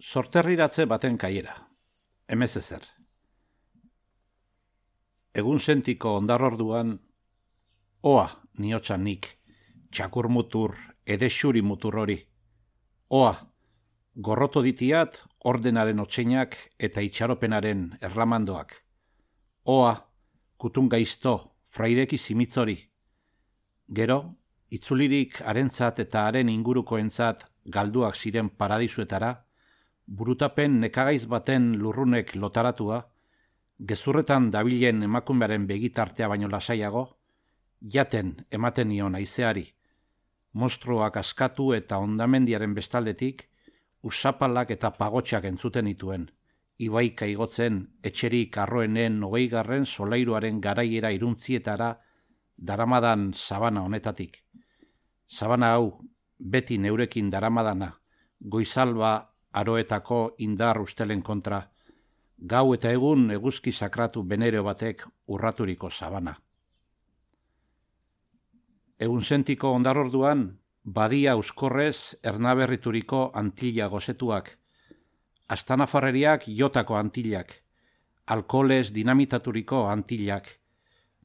Sorterriratze baten kaiera, emez ezer. Egun sentiko ondarorduan, oa niotxan nik, txakur mutur, edexuri mutur hori. Oa, gorroto ditiat ordenaren otseinak eta itxaropenaren erlamandoak. Oa, kutun gaizto, fraideki zimitzori. Gero, itzulirik harentzat eta haren ingurukoentzat galduak ziren paradisuetara, burutapen nekagaiz baten lurrunek lotaratua, gezurretan dabilen emakumearen begitartea baino lasaiago, jaten ematen nion haizeari, monstruak askatu eta hondamendiaren bestaldetik, usapalak eta pagotxak entzuten dituen, ibaika igotzen etxerik arroenen 20. solairuaren garaiera iruntzietara daramadan sabana honetatik. Sabana hau, beti neurekin daramadana, goizalba aroetako indar ustelen kontra, gau eta egun eguzki sakratu benero batek urraturiko sabana. Egunsentiko ondarorduan, badia euskorrez ernaberrituriko antilla gozetuak, astanafarreriak jotako antillak, alkoholez dinamitaturiko antillak,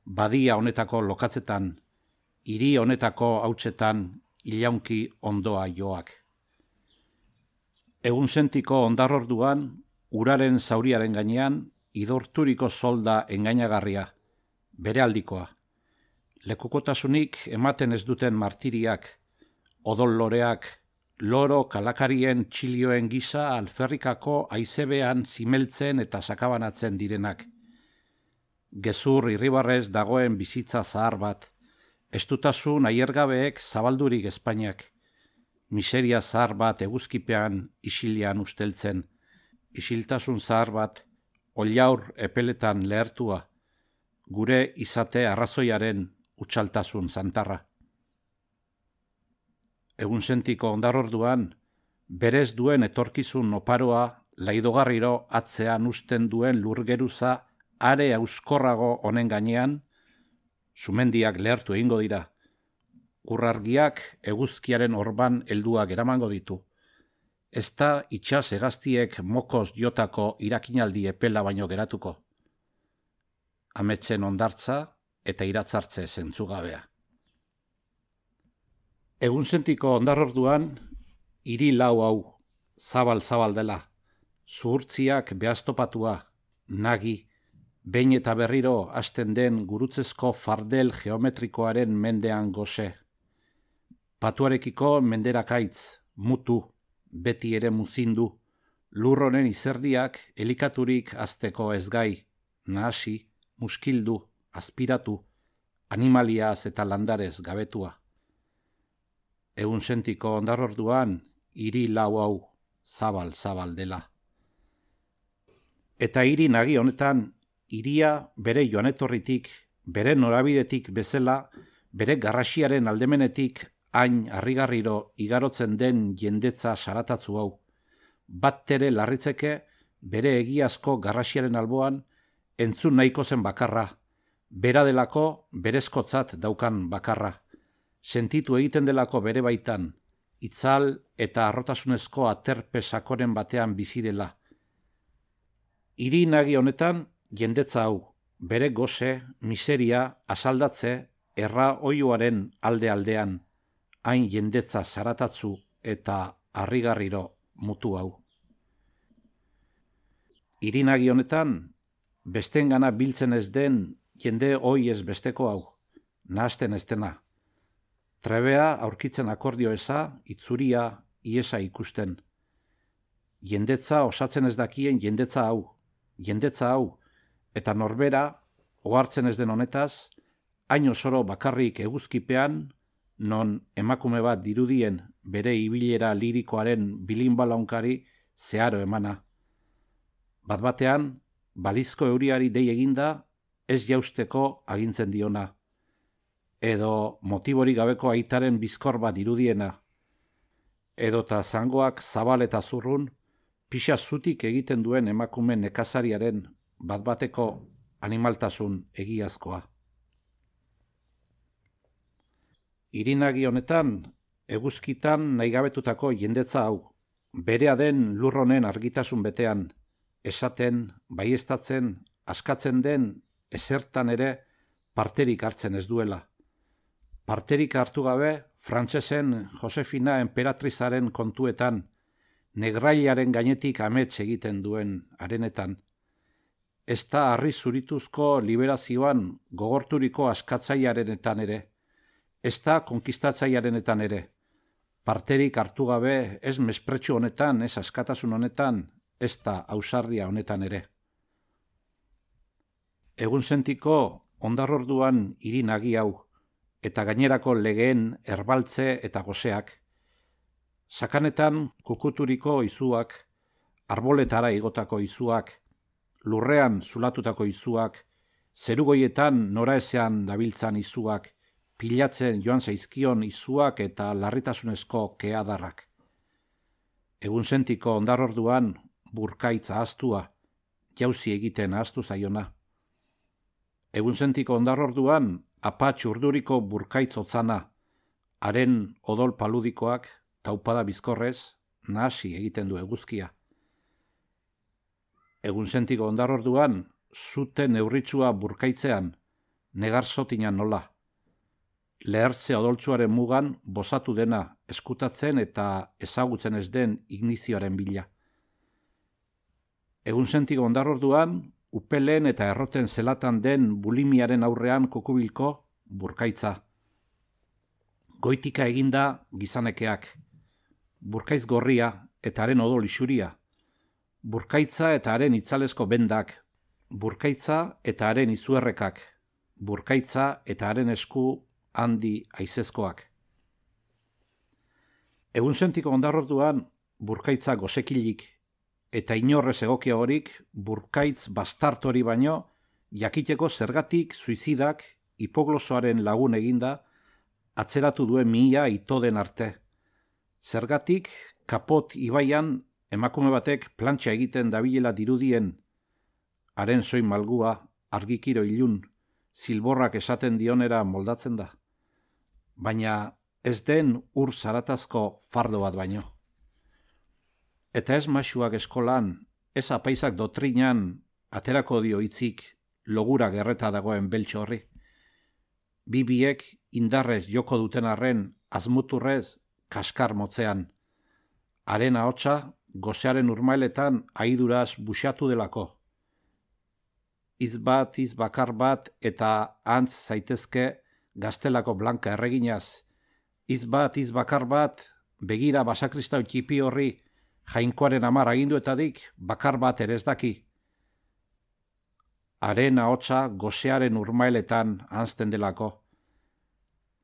badia honetako lokatzetan, hiri honetako hautsetan ilaunki ondoa joak. Egunsentiko ondarorduan, uraren zauriaren gainean, idorturiko solda engainagarria, bere aldikoa. Lekukotasunik ematen ez duten martiriak, odol loreak, loro kalakarien txilioen gisa alferrikako haizebean zimeltzen eta sakabanatzen direnak. Gezur irribarrez dagoen bizitza zahar bat, estutasun aiergabeek zabaldurik Espainiak, miseria zahar bat eguzkipean isilian usteltzen, isiltasun zahar bat oliaur epeletan lehertua, gure izate arrazoiaren utxaltasun zantarra. Egunsentiko ondarorduan, berez duen etorkizun oparoa laidogarriro atzean usten duen lurgeruza are euskorrago honen gainean, sumendiak lehertu egingo dira, urrargiak eguzkiaren orban helduak eramango ditu. Ez da itxas hegaztiek mokoz jotako irakinaldi epela baino geratuko. Ametsen ondartza eta iratzartze zentzugabea. Egunsentiko ondarorduan, hiri lau hau, zabal-zabal dela, zuhurtziak behaztopatua, nagi, behin eta berriro hasten den gurutzezko fardel geometrikoaren mendean goze. Patuarekiko menderakaitz, mutu, beti ere muzindu, lurronen izerdiak elikaturik azteko ezgai, nahasi, muskildu, aspiratu, animaliaz eta landarez gabetua. Egunsentiko ondarorduan, hiri lau hau, zabal-zabal dela. Eta hiri nagi honetan, hiria bere joanetorritik, bere norabidetik bezala, bere garrasiaren aldemenetik hain harrigarriro igarotzen den jendetza saratatzu hau. Bat tere larritzeke bere egiazko garrasiaren alboan entzun nahiko zen bakarra, bera delako berezkotzat daukan bakarra, sentitu egiten delako bere baitan, itzal eta arrotasunezko aterpe sakoren batean bizi dela. Hiri nagi honetan, jendetza hau, bere goze, miseria, asaldatze, erra oioaren alde-aldean, hain jendetza zaratatzu eta harrigarriro mutu hau. Hiri nagi honetan, bestengana biltzen ez den jende hoi ez besteko hau, nahasten ez dena. Trebea aurkitzen akordio eza, itzuria, iesa ikusten. Jendetza osatzen ez dakien jendetza hau, eta norbera, ohartzen ez den honetaz, hain osoro bakarrik eguzkipean, non emakume bat dirudien bere ibilera lirikoaren bilinbalaunkari zeharo emana. Bat-batean, balizko euriari dei eginda, ez jausteko agintzen diona. Edo motiborik gabeko aitaren bizkor bat irudiena. Edota zangoak zabal eta zurrun, pixa zutik egiten duen emakume nekazariaren bat-bateko animaltasun egiazkoa. Hiri nagi honetan, eguzkitan nahigabetutako jendetza hau, berea den lur honen argitasun betean, esaten, baieztatzen, askatzen den ezertan ere parterik hartzen ez duela. Parterik hartu gabe, frantsesen Josefina enperatrizaren kontuetan, negrailaren gainetik amets egiten duen harenetan. Ez da harri zurituzko liberazioan gogorturiko askatzailearenetan ere, ez da konkistatzailearenetan ere, parterik hartu gabe ez mespretxu honetan, ez askatasun honetan, ez da ausardia honetan ere. Egunsentiko ondarrorduan hiri nagi hau, eta gainerako legeen erbaltze eta goseak, sakanetan kukuturiko izuak, arboletara igotako izuak, lurrean zulatutako izuak, zerugoietan noraezean dabiltzan izuak, pilatzen joan zaizkion izuak eta larritasunezko keadarrak. Egunsentiko ondarrorduan burkaitz ahaztua, jauzi egiten ahaztu zaiona. Egunsentiko ondarrorduan apatx urduriko burkaitz otzana, haren odol paludikoak, taupada bizkorrez, nahasi egiten du eguzkia. Egunsentiko ondarrorduan, zute neurritsua burkaitzean, negar zotinan nola. Lehertze odoltsuaren mugan bosatu dena eskutatzen eta ezagutzen ez den ignizioaren bila. Egunsentiko ondarrorduan, upelen eta erroten zelatan den bulimiaren aurrean kokubilko burkaitza. Goitika eginda gizanekeak, burkaitz gorria eta haren odol isuria, burkaitza eta haren itzalesko bendak, burkaitza eta haren izuerrekak, burkaitza eta haren esku handi aizezkoak. Egunsentiko ondarrorduan burkaitza gosekilik, eta inorrez egokia horik burkaitz bastartori baino jakiteko zergatik suizidak hipoglosoaren lagun eginda atzeratu duen mihia ito den arte. Zergatik kapot ibaian emakume batek plantxa egiten dabilela dirudien, haren soin malgua, argikiro ilun, zilborrak esaten dionera moldatzen da. Baina ez den ur zaratazko fardo bat baino. Eta ez masuak eskolan, ez apaizak dotrinan aterako dio hitzik logura gerreta dagoen beltxo horri. Bibiek indarrez joko duten arren azmuturrez kaskar motzean. Haren ahotsa gozearen urmailetan aiduraz buxatu delako. Hitz bakar bat eta antz zaitezke gaztelako blanka erreginaz. Hitz bakar bat begira basakristau txipi horri jainkoaren amar aginduetadik bakar bat ere ez daki. Haren ahotsa gozearen urmailetan anzten delako.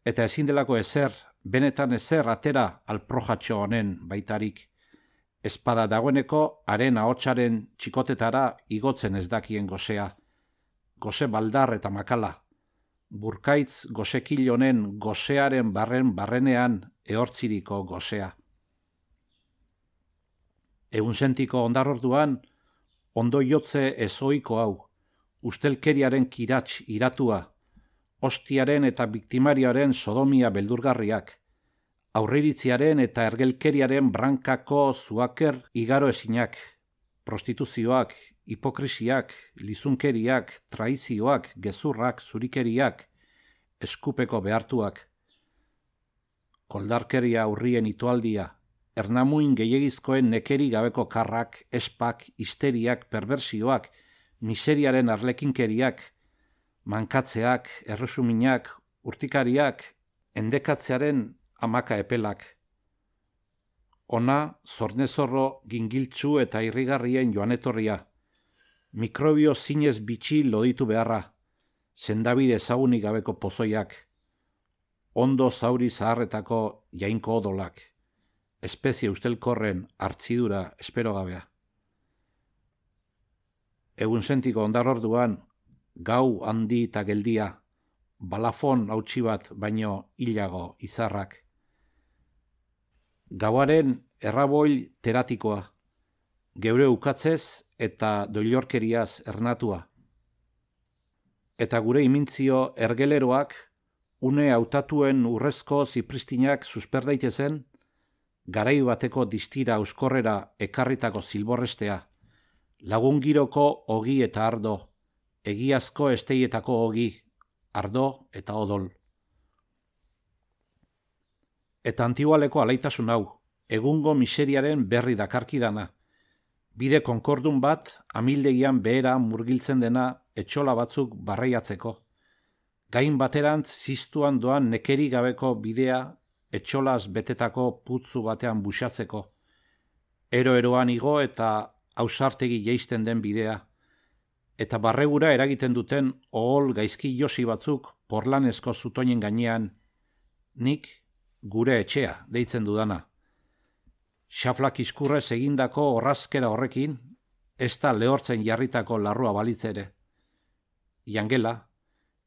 Eta ezin delako ezer, benetan ezer atera alprojatxo honen baitarik. Espada dagoeneko haren ahotsaren txikotetara igotzen ez dakien gozea. Goze baldar eta makala. Burkaitz gozekil honen gozearen barrenean ehortziriko gozea. Egunsentiko ondarrorduan, ondo jotze ezoiko hau, ustelkeriaren kirats iratua, ostiaren eta biktimarioaren sodomia beldurgarriak, aurriritziaren eta ergelkeriaren brankako zuaker igaro ezinak, prostituzioak, hipokrisiak, lizunkeriak, traizioak, gezurrak, zurikeriak, eskupeko behartuak, koldarkeria urrien itoaldia, ernamuin gehiagizkoen nekeri gabeko karrak, espak, histeriak, perversioak, miseriaren arlekinkeriak, mankatzeak, erresuminak, urtikariak, endekatzearen amaka epelak. Ona, zornezorro, gingiltzu eta irrigarrien joanetorria. Mikrobio zinez bitxi loditu beharra. Sendabide ezagunik gabeko pozoiak. Ondo zauri zaharretako jainko odolak. Espezie ustelkorren hartzidura espero gabea. Egunsentiko ondarrorduan, gau handi eta geldia, balafon hautsi bat baino hilago izarrak. Gauaren erraboil teratikoa, geure ukatzez eta doilorkeriaz ernatua. Eta gure imintzio ergeleroak, une hautatuen urrezko zipristinak susper daitezen, garai bateko distira euskorrera ekarritako zilborrestea, lagungiroko ogi eta ardo, egiazko esteietako ogi, ardo eta odol. Eta Antigualeko alaitasun hau, egungo miseriaren berri dakarkidana, bide konkordun bat amildegian behera murgiltzen dena etxola batzuk barreiatzeko, gain baterantz ziztuan doan nekeri gabeko bidea etxolaz betetako putzu batean busatzeko, ero-eroan igo eta ausartegi jeisten den bidea, eta barregura eragiten duten ohol gaizki josi batzuk porlanezko zutoinen gainean, nik gure etxea deitzen dudana. Xaflak iskurrez egindako orrazkera horrekin, ez da lehortzen jarritako larrua balitz ere. Jangela,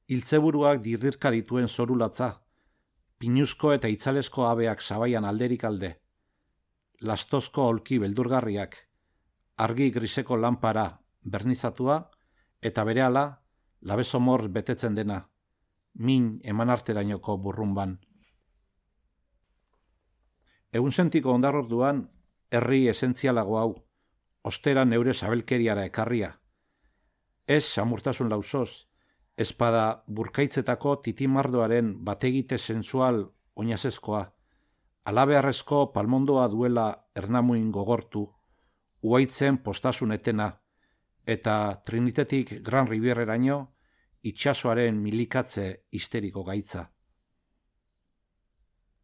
hiltzeburuak dirdirka dituen zorulatza, pinuzko eta itzalesko abeak zabaian alderik alde, lastozko aulki beldurgarriak, argi griseko lanpara bernizatua eta berehala labezomor betetzen dena, min emanarterainoko burrunban. Egunsentiko ondarorduan herri esentzialago hau, ostera neure sabelkeriara ekarria. Ez samurtasun lausoz, ezpada burkaitzetako titimardoaren bategite sensual oinazezkoa, alabearrezko palmondoa duela ernamuin gogortu, uaitzen postasun etena, eta Trinitetik Gran Rivierreraino itsasoaren milikatze histeriko gaitza.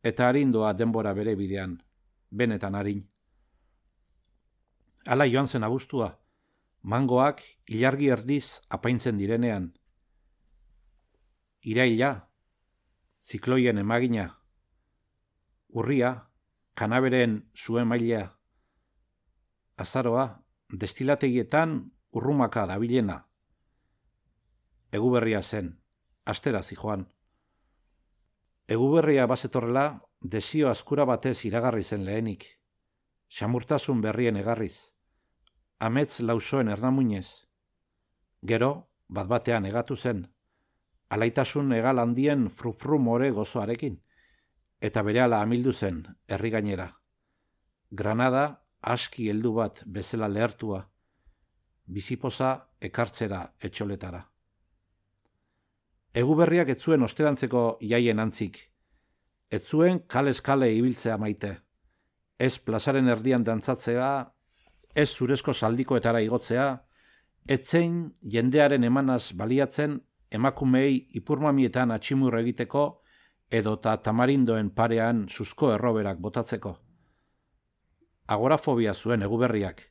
Eta arindoa denbora bere bidean, benetan arin. Hala joan zen abuztua, mangoak ilargi erdiz apaintzen direnean. Iraila, zikloien emagina. Urria, kanaberen zuen mailea. Azaroa, destilategietan urrumaka dabilena. Eguberria zen, astera zijoan. Eguberria bazetorrela, desio askura batez iragarri zen lehenik. Xamurtasun berrien egarriz. Amets lausoen ernamuinez. Gero, bat-batean egatu zen. Alaitasun egal handien frufru more gozoarekin. Eta berehala amildu zen, herri gainera. Granada, aski heldu bat bezala lehertua. Bizipoza ekartzera etxoletara. Eguberriak ez zuen osterantzeko jaien antzik. Ez zuen kalez kale ibiltzea maite. Ez plazaren erdian dantzatzea, ez zurezko zaldikoetara igotzea, ez zein jendearen emanaz baliatzen emakumeei ipurmamietan atximur egiteko edota tamarindoen parean suzko erroberak botatzeko. Agorafobia zuen eguberriak.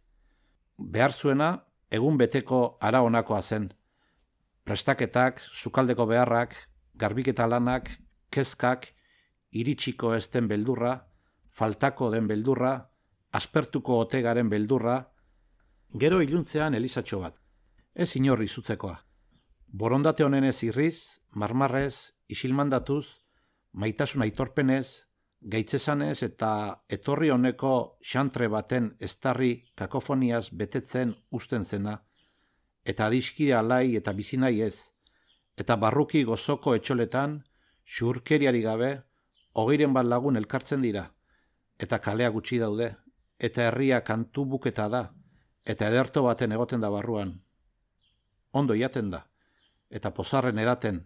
Behar zuena egun beteko ara honakoa zen. Prestaketak, sukaldeko beharrak, garbiketa lanak, kezkak, iritsiko ez den beldurra, faltako den beldurra, aspertuko otegaren beldurra, gero iluntzean elizatxo bat. Ez inor izutzekoa. Borondate honenez irriz, marmarrez, isilmandatuz, maitasun aitorpenez, gaitzesanez eta etorri honeko xantre baten estarri kakofoniaz betetzen usten zena, eta adiskide alai eta bizinai ez, eta barruki gozoko etxoletan, xurkeriari gabe, 20 lagun elkartzen dira, eta kalea gutxi daude, eta herria kantu buketa da, eta ederto baten egoten da barruan. Ondo jaten da, eta pozarren edaten,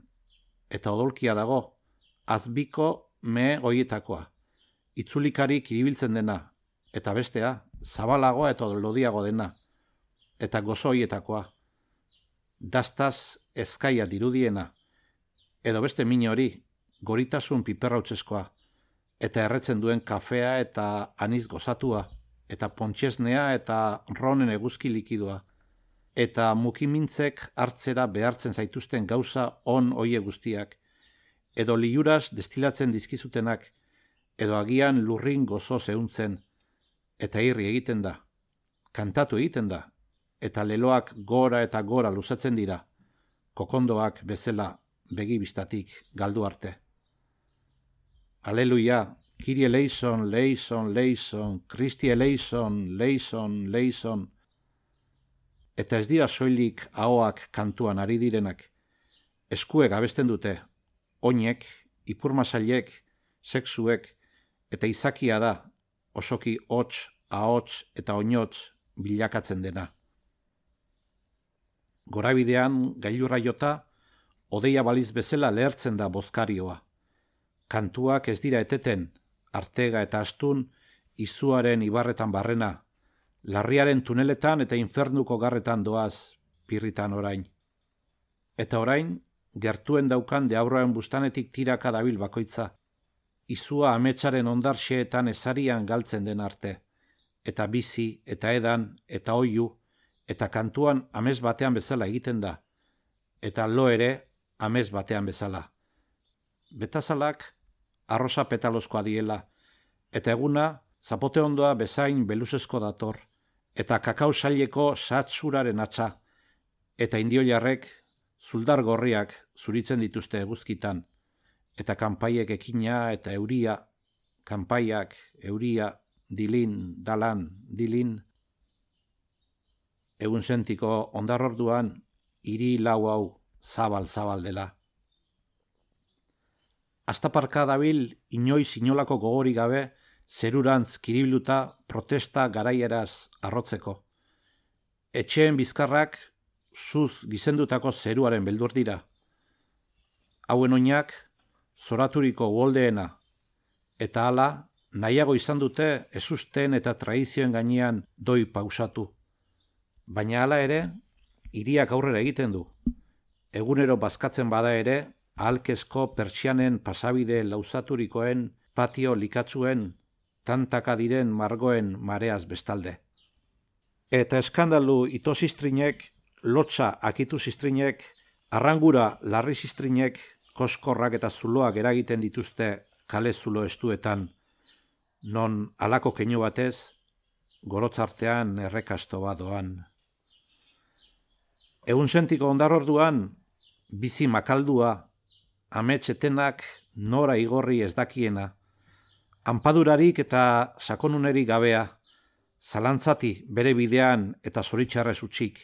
eta odolkia dago, azbiko mehe hoietakoa, itzulikarik iribiltzen dena, eta bestea, zabalagoa eta lodiago dena, eta gozo hoietakoa, dastaz ezkaia dirudiena, edo beste min hori, goritasun piperrautzeskoa, eta erretzen duen kafea eta aniz gozatua, eta pontxesnea eta ronen eguzki likidua, eta mukimintzek hartzera behartzen zaituzten gauza on hoie guztiak, edo liuraz destilatzen dizkizutenak, edo agian lurrin gozo zehuntzen, eta irri egiten da, kantatu egiten da, eta leloak gora eta gora luzatzen dira, kokondoak bezala begibistatik galdu arte. Aleluia, Kyrie eleison, leison, leison, Kristi eleison, leison, leison. Eta ez dira soilik ahoak kantuan ari direnak. Eskuek abesten dute, oinek, ipurmasailek, sexuek, eta izakia da, osoki hots, ahots eta oinotz bilakatzen dena. Gorabidean gailurra jota, odeia baliz bezala lehertzen da bozkarioa. Kantuak ez dira eteten, artega eta astun, izuaren ibarretan barrena, larriaren tuneletan eta infernuko garretan doaz, pirritan orain. Eta orain, gertuen daukan deaurroen bustanetik tiraka dabil bakoitza, izua ametsaren ondarxeetan ezarian galtzen den arte, eta bizi, eta edan, eta oiu, eta kantuan amez batean bezala egiten da, eta lo ere amez batean bezala. Betazalak arrosa petalozkoa diela, eta eguna zapote ondoa bezain beluzezko dator, eta kakao saileko satzuraren atza, eta indioilarrek zuldar gorriak zuritzen dituzte eguzkitan, eta kanpaiek ekina eta euria, kanpaiak, euria, dilin, dalan, dilin. Egun sentiko ondarorduan, hiri lau hau zabal dela. Astaparka dabil inoiz inolako gogori gabe, zerurantz kiribiluta protesta garaieraz arrotzeko. Etxeen bizkarrak zuz gizendutako zeruaren beldur dira. Hauen oinak zoraturiko uholdeena, eta hala nahiago izan dute ezusten eta tradizioen gainean doi pausatu. Baina hala ere, hiriak aurrera egiten du. Egunero bazkatzen bada ere, ahalkezko pertsianen pasabide lauzaturikoen, patio likatzuen, tantaka diren margoen mareaz bestalde. Eta eskandalu itosistrinek, lotsa akitu zistrinek, arrangura larri zistrinek, koskorrak eta zuloak eragiten dituzte kale zulo estuetan, non alako keinu batez, gorotzartean errekasto badoan. Egun sentiko ondarorduan, bizi makaldua, ametsetenak nora igorri ez dakiena, anpadurarik eta sakonunerik gabea, zalantzati bere bidean eta zoritxarrez utxik,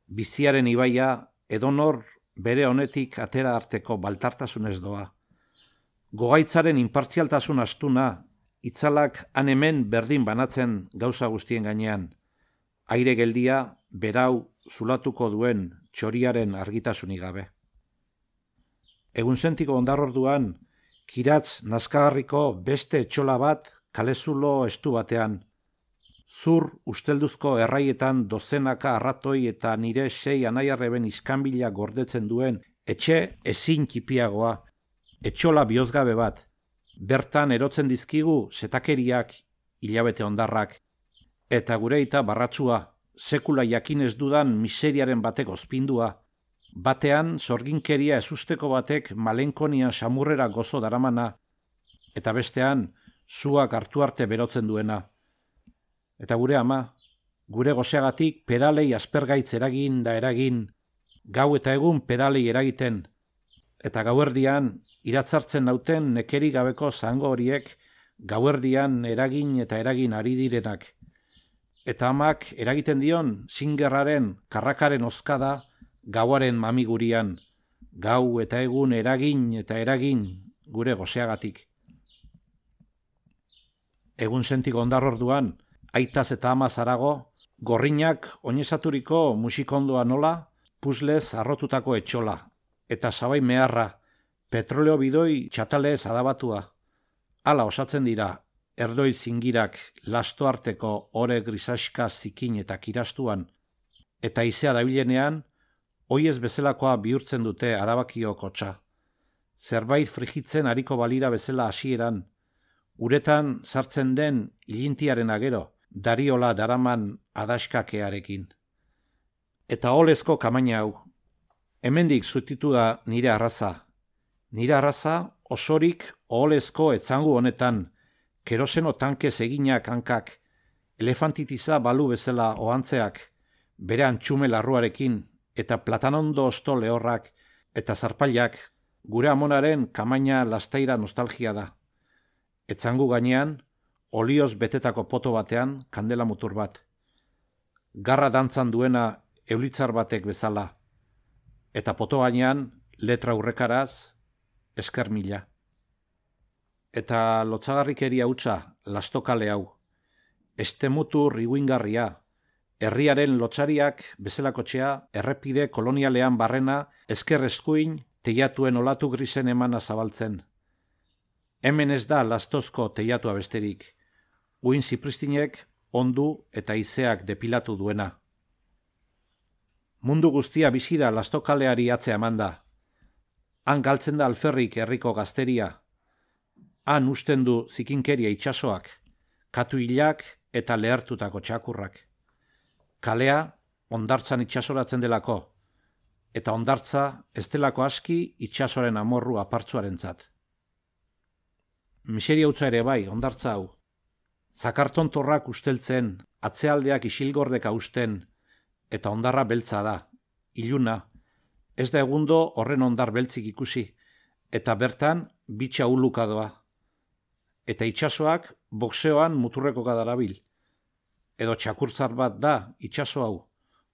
biziaren ibaia edonor bere honetik atera arteko baltartasunez doa. Gogaitzaren inpartzialtasun astuna, itzalak han hemen berdin banatzen gauza guztien gainean, aire geldia berau zulatuko duen txoriaren argitasunik gabe. Egun sentiko ondarorduan, kiratz nazkagarriko beste etxola bat kalezulo estu batean, zur ustelduzko erraietan dozenaka arratoi eta nire 6 anaiarreben iskanbila gordetzen duen etxe ezin kipiagoa, etxola bihozgabe bat, bertan erotzen dizkigu zetakeriak, hilabete ondarrak, eta gure aita barratsua, sekula jakinez dudan miseriaren batek ozpindua, batean zorginkeria ezusteko batek malenkonia samurrera gozo daramana, eta bestean zuak hartu arte berotzen duena. Eta gure ama, gure gozeagatik pedalei aspergaitz eragin da eragin, gau eta egun pedalei eragiten, eta gauerdian iratzartzen nauten nekeri gabeko zango horiek gauerdian eragin eta eragin ari direnak. Eta amak eragiten dion zingerraren karrakaren ozkada gauaren mamigurian, gau eta egun eragin eta eragin gure gozeagatik. Egun sentiko ondarorduan, aitaz eta amaz harago, gorrinak oinezaturiko musikondoa nola, puzlez arrotutako etxola, eta sabai meharra, petroleo bidoi txatalez adabatua. Hala osatzen dira, erdoi zingirak lasto arteko ore grisaska zikin eta kirastuan, eta izea dabilenean, oiez bezalakoa bihurtzen dute adabakio kotxa. Zerbait frigitzen hariko balira bezala hasieran, uretan sartzen den ilintiaren agero, dariola daraman adaskakearekin. Eta olezko kamaina hau. Hemendik zutitu da nire arraza. Nire arraza osorik olezko etzangu honetan, keroseno tankez eginak hankak, elefantitiza balu bezala ohantzeak, bere antxume larruarekin, eta platanondo osto lehorrak, eta zarpailak, gure amonaren kamaina lastaira nostalgia da. Etzangu gainean, olioz betetako poto batean kandela mutur bat. Garra dantzan duena eulitzar batek bezala. Eta poto gainean, letra urrekaraz, esker mila. Eta lotzagarrikeria hutsa lastokale hau. Estemutu riguingarria, herriaren lotsariak bezalakotxea, errepide kolonialean barrena, ezker eskuin, teiatuen olatu grisen emana zabaltzen. Hemen ez da lastozko teiatua besterik, uin zipristinek ondu eta izeak depilatu duena. Mundu guztia bizi da lastokaleari atzea emanda. Han galtzen da alferrik herriko gazteria. Han usten du zikinkeria itsasoak, katuilak eta lehertutako txakurrak. Kalea hondartzan itsasoratzen delako, eta hondartza ez delako aski itsasoren amorru apartzuarentzat. Miseria hutsa ere bai, hondartza hau. Zakartontorrak usteltzen, atzealdeak isilgordeka usten, eta hondarra beltza da, iluna, ez da egundo horren hondar beltzik ikusi, eta bertan bitxa uluka doa. Eta itsasoak boxeoan muturreko darabil. Edo txakurtzar bat da itsaso hau,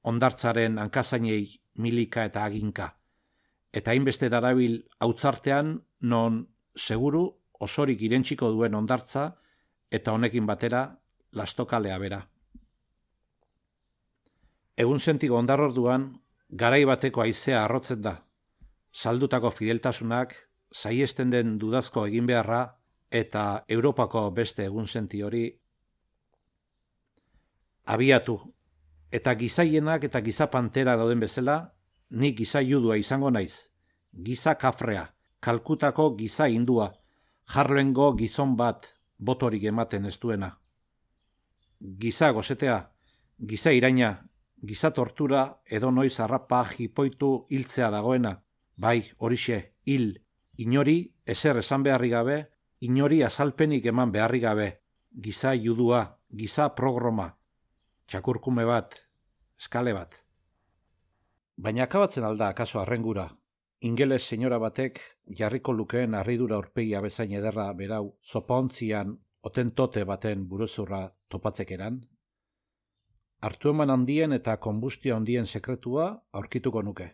hondartzaren hankazainei milika eta aginka. Eta hainbeste darabil hautzartean non seguru osorik irentsiko duen hondartza eta honekin batera lastokalea bera. Egun sentiko hondarorduan, garai bateko haizea arrotzen da. Saldutako fideltasunak, saiesten den dudazko egin beharra, eta Europako beste egun senti hori abiatu. Eta gizaienak eta giza pantera dauden bezala, ni giza judua izango naiz. Giza kafrea, Kalkutako giza hindua, Harlengo gizon bat, botorik ematen ez duena. Giza gozetea, giza iraina, giza tortura edo noiz harrapa jipoitu hiltzea dagoena. Bai, horixe, hil, inori ezer esan beharri gabe, inori azalpenik eman beharri gabe. Giza judua, giza programa, txakurkume bat, eskale bat. Baina akabatzen alda akaso arrengura. Ingeles senyora batek jarriko lukeen harridura aurpegia bezain ederra berau zopaontzian otentote baten buruzurra topatzekeran? Hartu eman handien eta konbustio handien sekretua aurkituko nuke.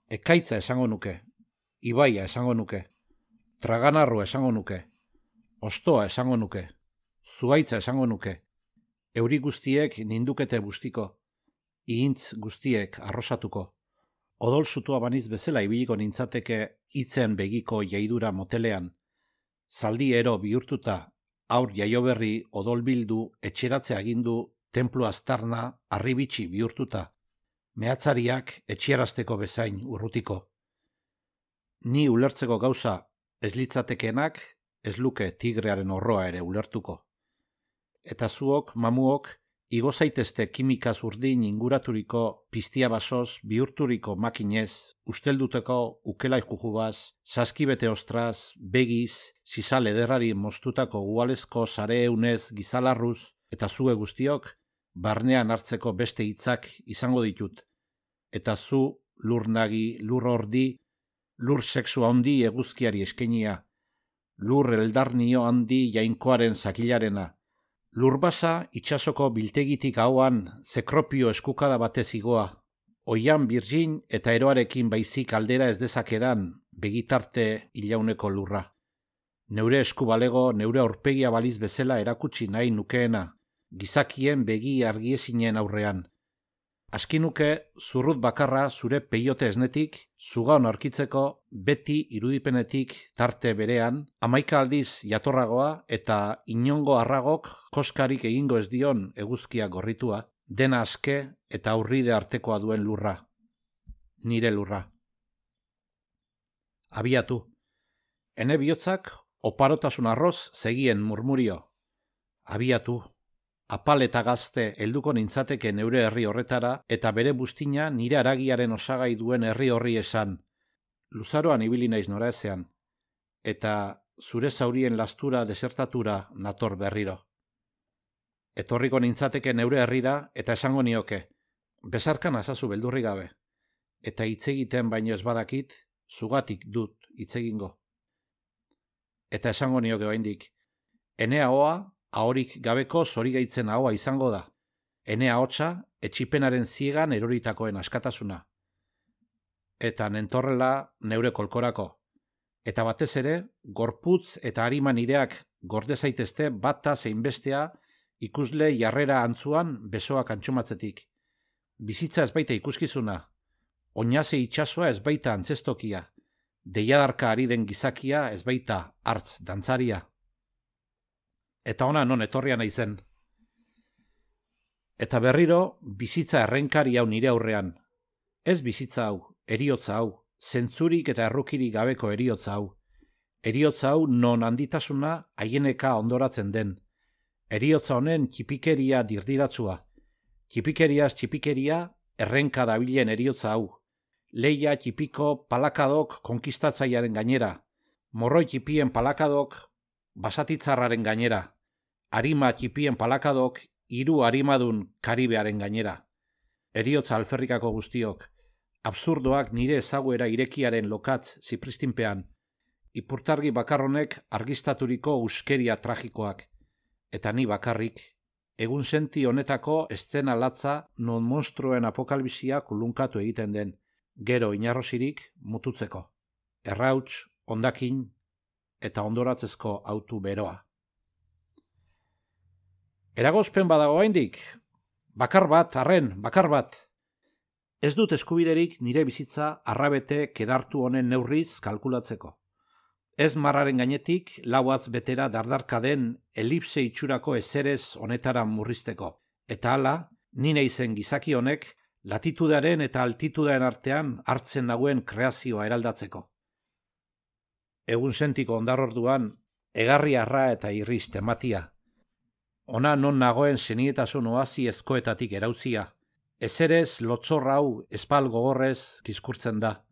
Ekaitza esango nuke, ibaia esango nuke, traganarroa esango nuke, ostoa esango nuke, zuaitza esango nuke, euri guztiek nindukete bustiko, ihintz guztiek arrosatuko, odol sutua baniz bezala ibiliko nintzateke hitzen begiko jaidura motelean, zaldi ero bihurtuta, aur jaioberri odolbildu etxeratze agindu, templu aztarna arribitxi bihurtuta, mehatzariak etxerazteko bezain urrutiko. Ni ulertzeko gauza ez litzatekenak ez luke tigrearen horroa ere ulertuko. Eta zuok, mamuok, igo zaitezte kimikaz urdin inguraturiko piztia basoz bihurturiko makinez, ustelduteko ukelai jujubaz, saskibete ostraz, begiz, zizal ederrari mostutako gualezko sareunez gizalarruz, eta zue guztiok, barnean hartzeko beste hitzak izango ditut. Eta zu, lur nagi, lur ordi, lur sexu handi eguzkiari eskenia, lur eldarnio handi jainkoaren zakilarena, lur basa itxasoko biltegitik hauan zekropio eskukada batez igoa, oian birgin eta eroarekin baizik aldera ez dezakedan begitarte ilauneko lurra. Neure esku balego, neure aurpegia baliz bezala erakutsi nahi nukeena, gizakien begi argiezinen aurrean. Askinuke zurrut bakarra zure peiote esnetik, zugaon aurkitzeko beti irudipenetik tarte berean, 11 aldiz jatorragoa eta inongo arragok koskarik egingo ez dion eguzkia gorritua, dena aske eta aurride artekoa duen lurra. Nire lurra. Abiatu. Ene bihotzak oparotasun arroz zegien murmurio. Abiatu. Apal eta gazte helduko nintzateke neure herri horretara eta bere buztina nire haragiaren osagai duen herri horri esan. Luzaroan ibili naiz noraezean, eta zure zaurien lastura desertatura nator berriro. Etorriko nintzateke neure herrira eta esango nioke, bezarkan azazu beldurri gabe, eta hitz egiten baino ez badakit, zugatik dut hitz egingo. Eta esango nioke oraindik, ene ahoa, ahorik gabeko zorigaitzen ahoa izango da. Ene ahotsa, etxipenaren ziegan eroritakoen askatasuna. Eta nentorrela neure kolkorako. Eta batez ere, gorputz eta arima nireak gorde zaitezte bata zein bestea ikusle jarrera antzuan besoak antxumatzetik. Bizitza ez baita ikuskizuna, oinaze itsasoa ez baita antzestokia, deiadarka ari den gizakia ez baita hartz dantzaria. Eta ona non etorria naizen. Eta berriro, bizitza errenkari hau nire aurrean. Ez bizitza hau, heriotza hau, zentzurik eta errukirik gabeko heriotza hau. Heriotza hau non handitasuna haieneka ondoratzen den. Heriotza honen txipikeria dirdiratsua. Txipikeriaz txipikeria errenka dabilen heriotza hau. Leia txipiko palakadok konkistatzaiaren gainera. Morroi txipien palakadok basatitzarraren gainera. Arima txipien palakadok hiru arimadun Karibearen gainera. Heriotza alferrikako guztiok. Absurdoak nire ezaguera irekiaren lokatz zipristinpean. Ipurtargi bakarronek argistaturiko uskeria tragikoak. Eta ni bakarrik, egun senti honetako eszena latza non monstruen apokalbisia kulunkatu egiten den, gero inarrosirik mututzeko. Errauts, hondakin eta ondoratzezko autu beroa. Eragozpen badago oraindik, bakar bat, bakar bat. Ez dut eskubiderik nire bizitza arrabete kedartu honen neurriz kalkulatzeko. Ez marraren gainetik lauatz betera dardarka den elipse itxurako ezerez honetara murrizteko. Eta hala, nine izen gizaki honek latitudearen eta altitudearen artean hartzen nagoen kreazioa eraldatzeko. Egun sentiko ondarorduan, egarri arra eta irriz tematia. Ona non nagoen senietasun oasi ezkoetatik erauzia. Ezerez lotzorra hau espal gogorrez kiskurtzen da.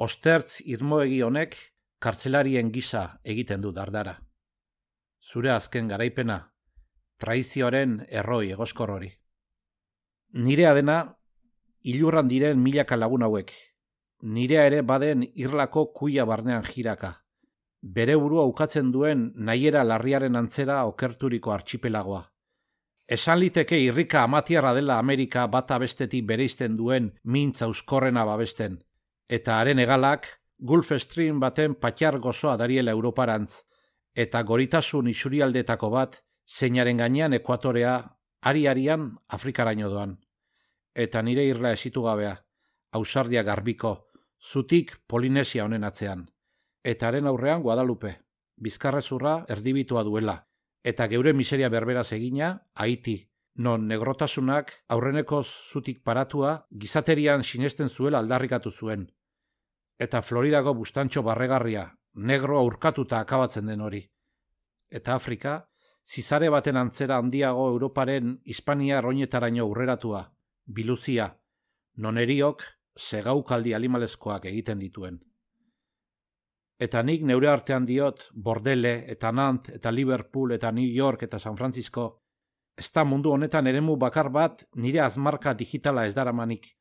Ostertz irmoegi honek kartzelarien gisa egiten du dardara. Zure azken garaipena, traizioaren erroi egoskor hori. Nirea dena, ilurran diren milaka lagun hauek. Nirea ere baden irlako kuia barnean jiraka. Bere burua ukatzen duen nahiera larriaren antzera okerturiko artxipelagoa. Esan liteke irrika amatiarra dela Amerika bata bestetik bereizten duen mintza euskorrena babesten. Eta haren hegalak, Gulf Stream baten patxar gozoa dariela Europarantz, eta goritasun isurialdetako bat, zeinaren gainean ekuatorea, ari-arian Afrikaraino doan. Eta nire irla esitu gabea, ausardia garbiko, zutik Polinesia honen atzean. Eta haren aurrean Guadalupe, bizkarrezurra erdibitua duela, eta geure miseria berberaz egina, Haiti, non negrotasunak aurrenekoz zutik paratua gizaterian sinesten zuela aldarrikatu zuen. Eta Floridako bustantxo barregarria, negro aurkatuta akabatzen den hori. Eta Afrika, zizare baten antzera handiago Europaren Hispania roinetaraino aurreratua, biluzia, non eriok segaukaldi animalezkoak egiten dituen. Eta nik neure artean diot Bordele eta Nant eta Liverpool eta New York eta San Francisco, ez da mundu honetan eremu bakar bat nire azmarka digitala ez daramanik.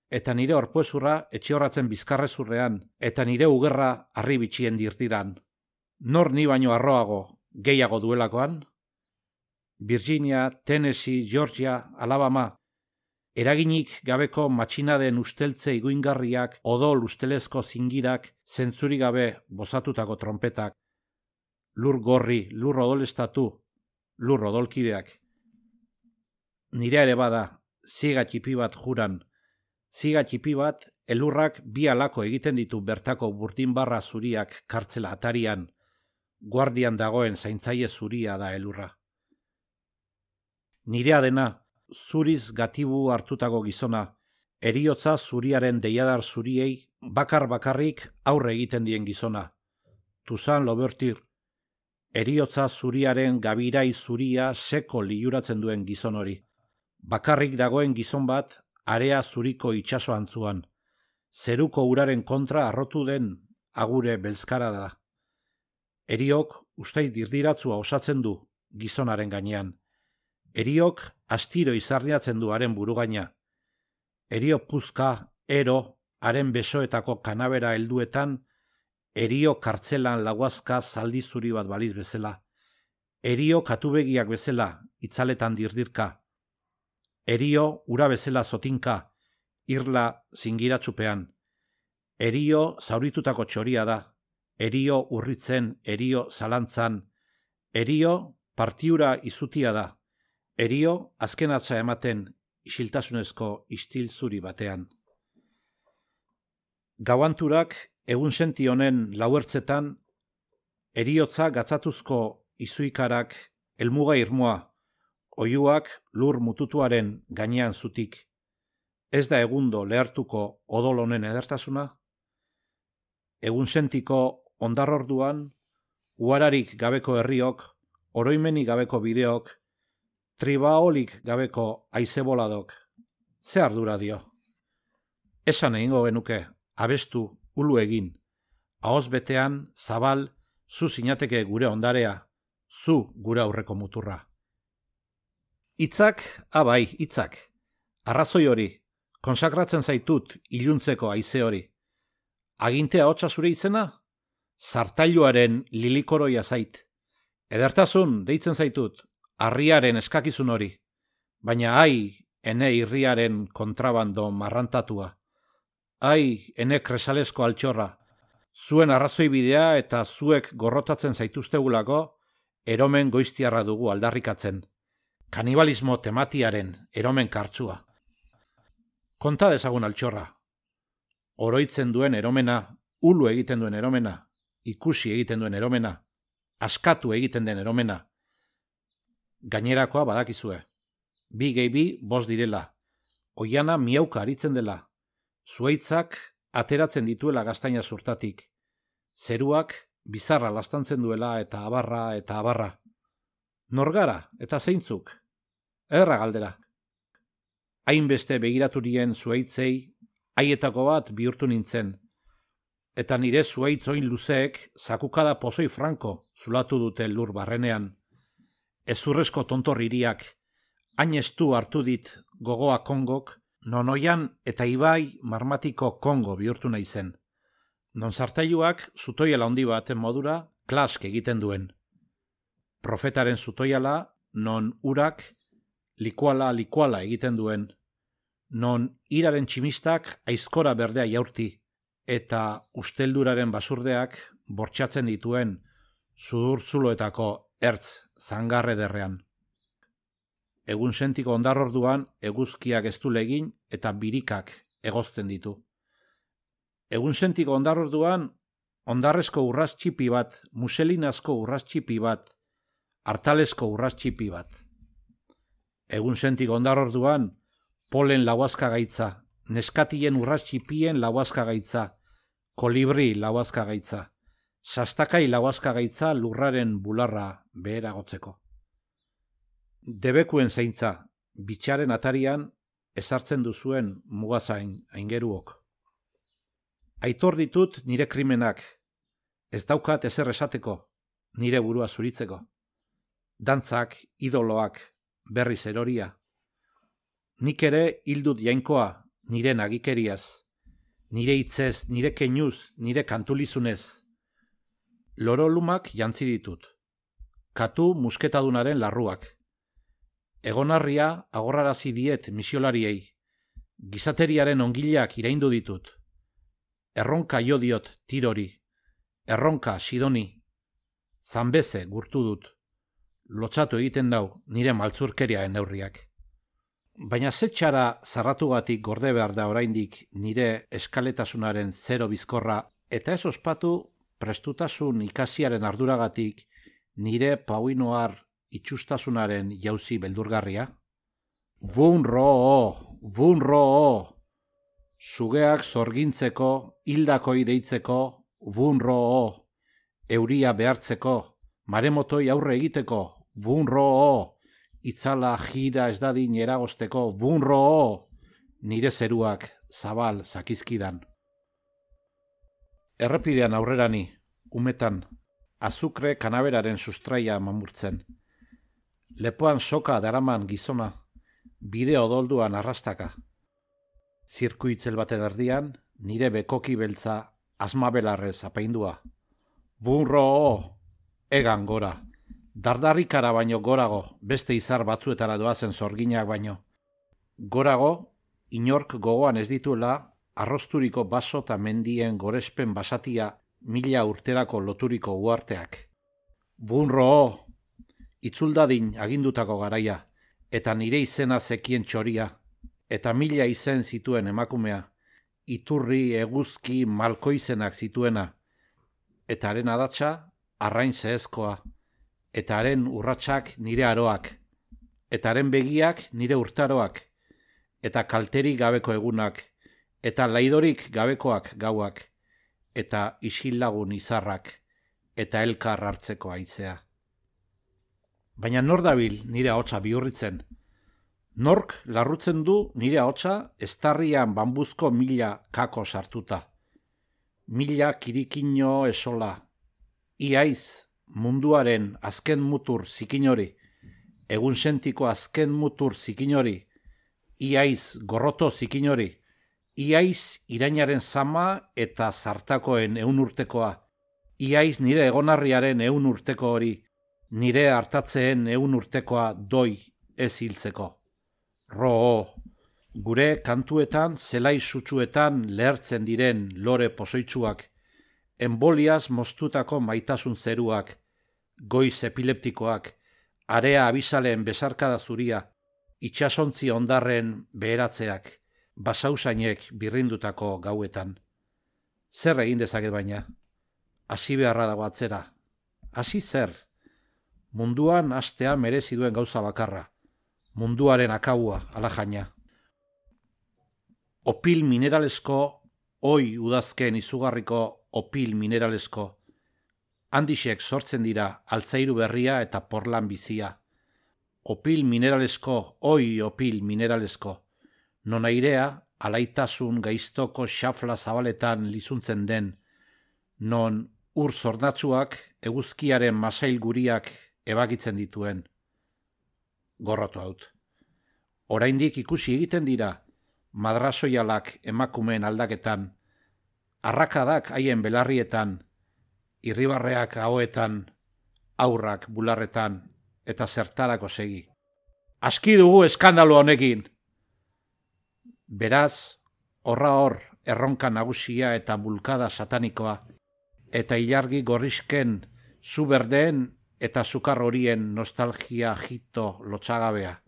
Eta nire orpuezurra etxiorratzen bizkarrezurrean, eta nire ugerra harri bitxien dirtiran. Nor ni baino arroago, gehiago duelakoan? Virginia, Tennessee, Georgia, Alabama, eraginik gabeko matxinaden usteltze iguingarriak, odol ustelezko zingirak, zentzuri gabe bozatutako trompetak, lur gorri, lur odolestatu, lur odolkideak. Nire ere bada, ziga txipi bat juran, ziga txipi bat, elurrak bi alako egiten ditu bertako burdinbarra zuriak kartzela atarian, guardian dagoen zaintzaile zuria da elurra. Nirea dena, zuriz gatibu hartutako gizona, heriotza zuriaren deiadar zuriei bakar-bakarrik aurre egiten dien gizona. Toussaint Louverture, heriotza zuriaren gabirai zuria seko liuratzen duen gizon hori. Bakarrik dagoen gizon bat, area zuriko itsaso antzuan. Zeruko uraren kontra arrotu den agure belzkara da. Heriok ustait dirdiratzua osatzen du gizonaren gainean. Heriok astiro izarriatzen du haren burugaina. Herio puzka, ero, haren besoetako kanabera helduetan, herio kartzelan laguazka zaldi zuri bat baliz bezala. Herio katubegiak bezala, itzaletan dirdirka. Herio ura bezala zotinka, irla zingiratsupean. Herio zauritutako txoria da. erio urritzen, erio zalantzan, erio partiura izutia da, erio azken atza ematen isiltasunezko istil zuri batean. Gauanturak egunsenti honen lauertzetan, eriotza gatzatuzko izuikarak helmuga irmoa, oiuak lur mututuaren gainean zutik. Ez da egundo lehartuko odol honen edertasuna? Egunsentiko ondarrorduan, uararik gabeko herriok, oroimenik gabeko bideok, tribaolik gabeko aizeboladok, ze ardura dio? Esan egingo genuke, abestu, ulu egin, ahoz betean, zabal, zu zinateke gure ondarea, zu gure aurreko muturra. Hitzak, abai, hitzak, arrazoi hori, konsakratzen zaitut iluntzeko haize hori. Agintea hotza zure izena? Zartailuaren lilikoroia zait. Edertasun deitzen zaitut, harriaren eskakizun hori. Baina ai, ene irriaren kontrabando marrantatua. Ai, ene kresalesko altxorra. Zuen arrazoi bidea eta zuek gorrotatzen zaituztegulako, eromen goiztiarra dugu aldarrikatzen. Kanibalismo tematiaren eromen kartsua. Konta dezagun altxorra. Oroitzen duen eromena, ulu egiten duen eromena, ikusi egiten duen eromena, askatu egiten den eromena. Gainerakoa badakizue. 2 gehi 2 5 direla. Oiana miauka aritzen dela. Zuaitzak ateratzen dituela gaztaina zurtatik. Zeruak bizarra lastantzen duela eta abarra. Norgara eta zeintzuk? Ederra galdera. Hainbeste begiraturien zuaitzei, haietako bat bihurtu nintzen. Eta nire zuaitzoin luzeek zakukada pozoi franko zulatu dute lur barrenean. Ezurrezko tontorririak, hain estu hartu dit gogoa Kongok, nonoian eta ibai marmatiko Kongo bihurtu nahi zen. Non zartailuak zutoiala handi baten modura klask egiten duen. Profetaren zutoiala non urak likuala egiten duen. Non iraren tximistak aizkora berdea jaurti eta ustelduraren basurdeak bortxatzen dituen sudurzuloetako ertz zangarre derrean. Egunsentiko ondarrorduan eguzkiak eztulegin eta birikak egozten ditu. Egunsentiko ondarrorduan ondarrezko urrastxipi bat, muselinazko urrastxipi bat, hartalesko urrastxipi bat. Egunsentiko ondarrorduan polen lauazkagaitza, neskatien urrastxipien lauazkagaitza, kolibri lauazkagaitza, sastakai lauazkagaitza lurraren bularra beheragotzeko. Debekuen zaintza, bitxaren atarian ezartzen duzuen mugazain aingeruok. Aitor ditut nire krimenak, ez daukat ezer esateko, nire burua zuritzeko. Dantzak, idoloak, berriz eroria. Nik ere hildut jainkoa, nire nagikeriaz, nire hitzez, nire keinuz, nire kantulizunez. Lorolumak jantzi ditut. Katu musketadunaren larruak. Egonarria agorrarazi diet misiolariei. Gizateriaren ongileak iraindu ditut. Erronka jo diot tirori. Erronka sidoni. Zanbeze gurtu dut. Lotxatu egiten dau nire maltzurkeriaen neurriak. Baina zetxara zarratugatik gorde behar da oraindik nire eskaletasunaren zero bizkorra eta ez ospatu prestutasun ikasiaren arduragatik nire pauinoar itxustasunaren jauzi beldurgarria? Bunro! Sugeak zorgintzeko, hildakoi deitzeko, bunro! Euria behartzeko, maremotoi aurre egiteko, bunro! Itzala jira ez dadin eragosteko, bunro! Nire zeruak zabal zakizkidan. Errepidean aurrerani, umetan, azukre kanaberaren sustraia mamurtzen. Lepoan soka daraman gizona, bide odolduan arrastaka. Zirkuitzel baten erdian, nire bekoki beltza asmabelarrez apaindua. Bunro! Egan gora. Dardarrikara baino gorago, beste izar batzuetara doazen zorginak baino. Gorago, inork gogoan ez dituela, arrosturiko baso eta mendien gorespen basatia 1000 urterako loturiko uarteak. Bunro, itzuldadin agindutako garaia, eta nire izena zekien txoria, eta 1000 izen zituen emakumea, iturri, eguzki, malkoizenak zituena, eta haren adatsa arrain zehezkoa, eta haren urratsak nire aroak, eta haren begiak nire urtaroak, eta kalterik gabeko egunak, eta laidorik gabekoak gauak, eta isilagun izarrak, eta elkar hartzeko haizea. Baina nor dabil nire ahotsa bihurritzen? Nork larrutzen du nire ahotsa estarrian bambuzko 1000 kako sartuta? 1000 kirikino esola. Iaiz munduaren azken mutur zikinori, egunsentiko azken mutur zikinori, iaiz gorroto zikinori, iaiz irainaren zama eta zartakoen 100 urtekoa, iaiz nire egonarriaren 100 urteko hori, nire hartatzeen 100 urtekoa doi ez hiltzeko. Ro, gure kantuetan zelai sutsuetan lehertzen diren lore pozoitsuak, emboliaz moztutako maitasun zeruak, goiz epileptikoak, area abisaleen besarkada zuria, itxasontzi ondarren beheratzeak, basausainek birrindutako gauetan. Zer egin dezaket baina? Hasi beharra dago atzera. Hasi zer? Munduan hastea merezi duen gauza bakarra. Munduaren akaua, alajaina. Opil mineralesko, oi udazken izugarriko opil mineralesko. Handixek sortzen dira altzairu berria eta porlan bizia. Opil mineralesko, oi opil mineralesko. Non airea, alaitasun gaiztoko xafla zabaletan lizuntzen den. Non ur zordatsuak eguzkiaren masail guriak ebakitzen dituen. Gorroto haut. Oraindik ikusi egiten dira, madrasoialak emakumeen aldaketan, arrakadak haien belarrietan, irribarreak ahoetan, aurrak bularretan, eta zertarako segi. Aski dugu eskandalo honekin! Beraz, horra hor erronka nagusia eta bulkada satanikoa, eta ilargi gorrisken zu berdeen eta sukar horien nostalgia jito lotsagabea.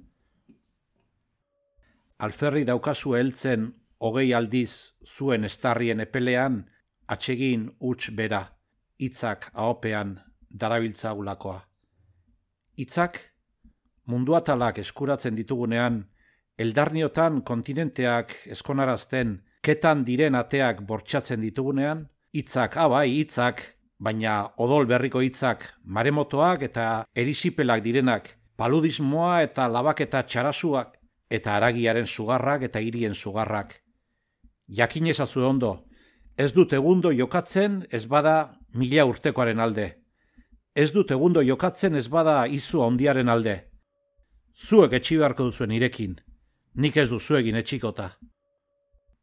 Alferri daukazu heltzen 20 aldiz zuen estarrien epelean, atsegin huts bera, hitzak ahopean darabiltzagulakoa. Hitzak, munduatalak eskuratzen ditugunean, eldarniotan kontinenteak eskonarazten, ketan diren ateak bortxatzen ditugunean, hitzak, abai, hitzak, baina odol berriko hitzak, maremotoak eta erisipelak direnak, paludismoa eta labaketa txarasuak, eta haragiaren sugarrak eta hirien sugarrak. Jakin ezazu ondo, ez dut egundo jokatzen ez bada 1000 urtekoaren alde. Ez dut egundo jokatzen ez bada izu handiaren alde. Zuek etxi beharko duzuen irekin, nik ez du zuegin etxikota.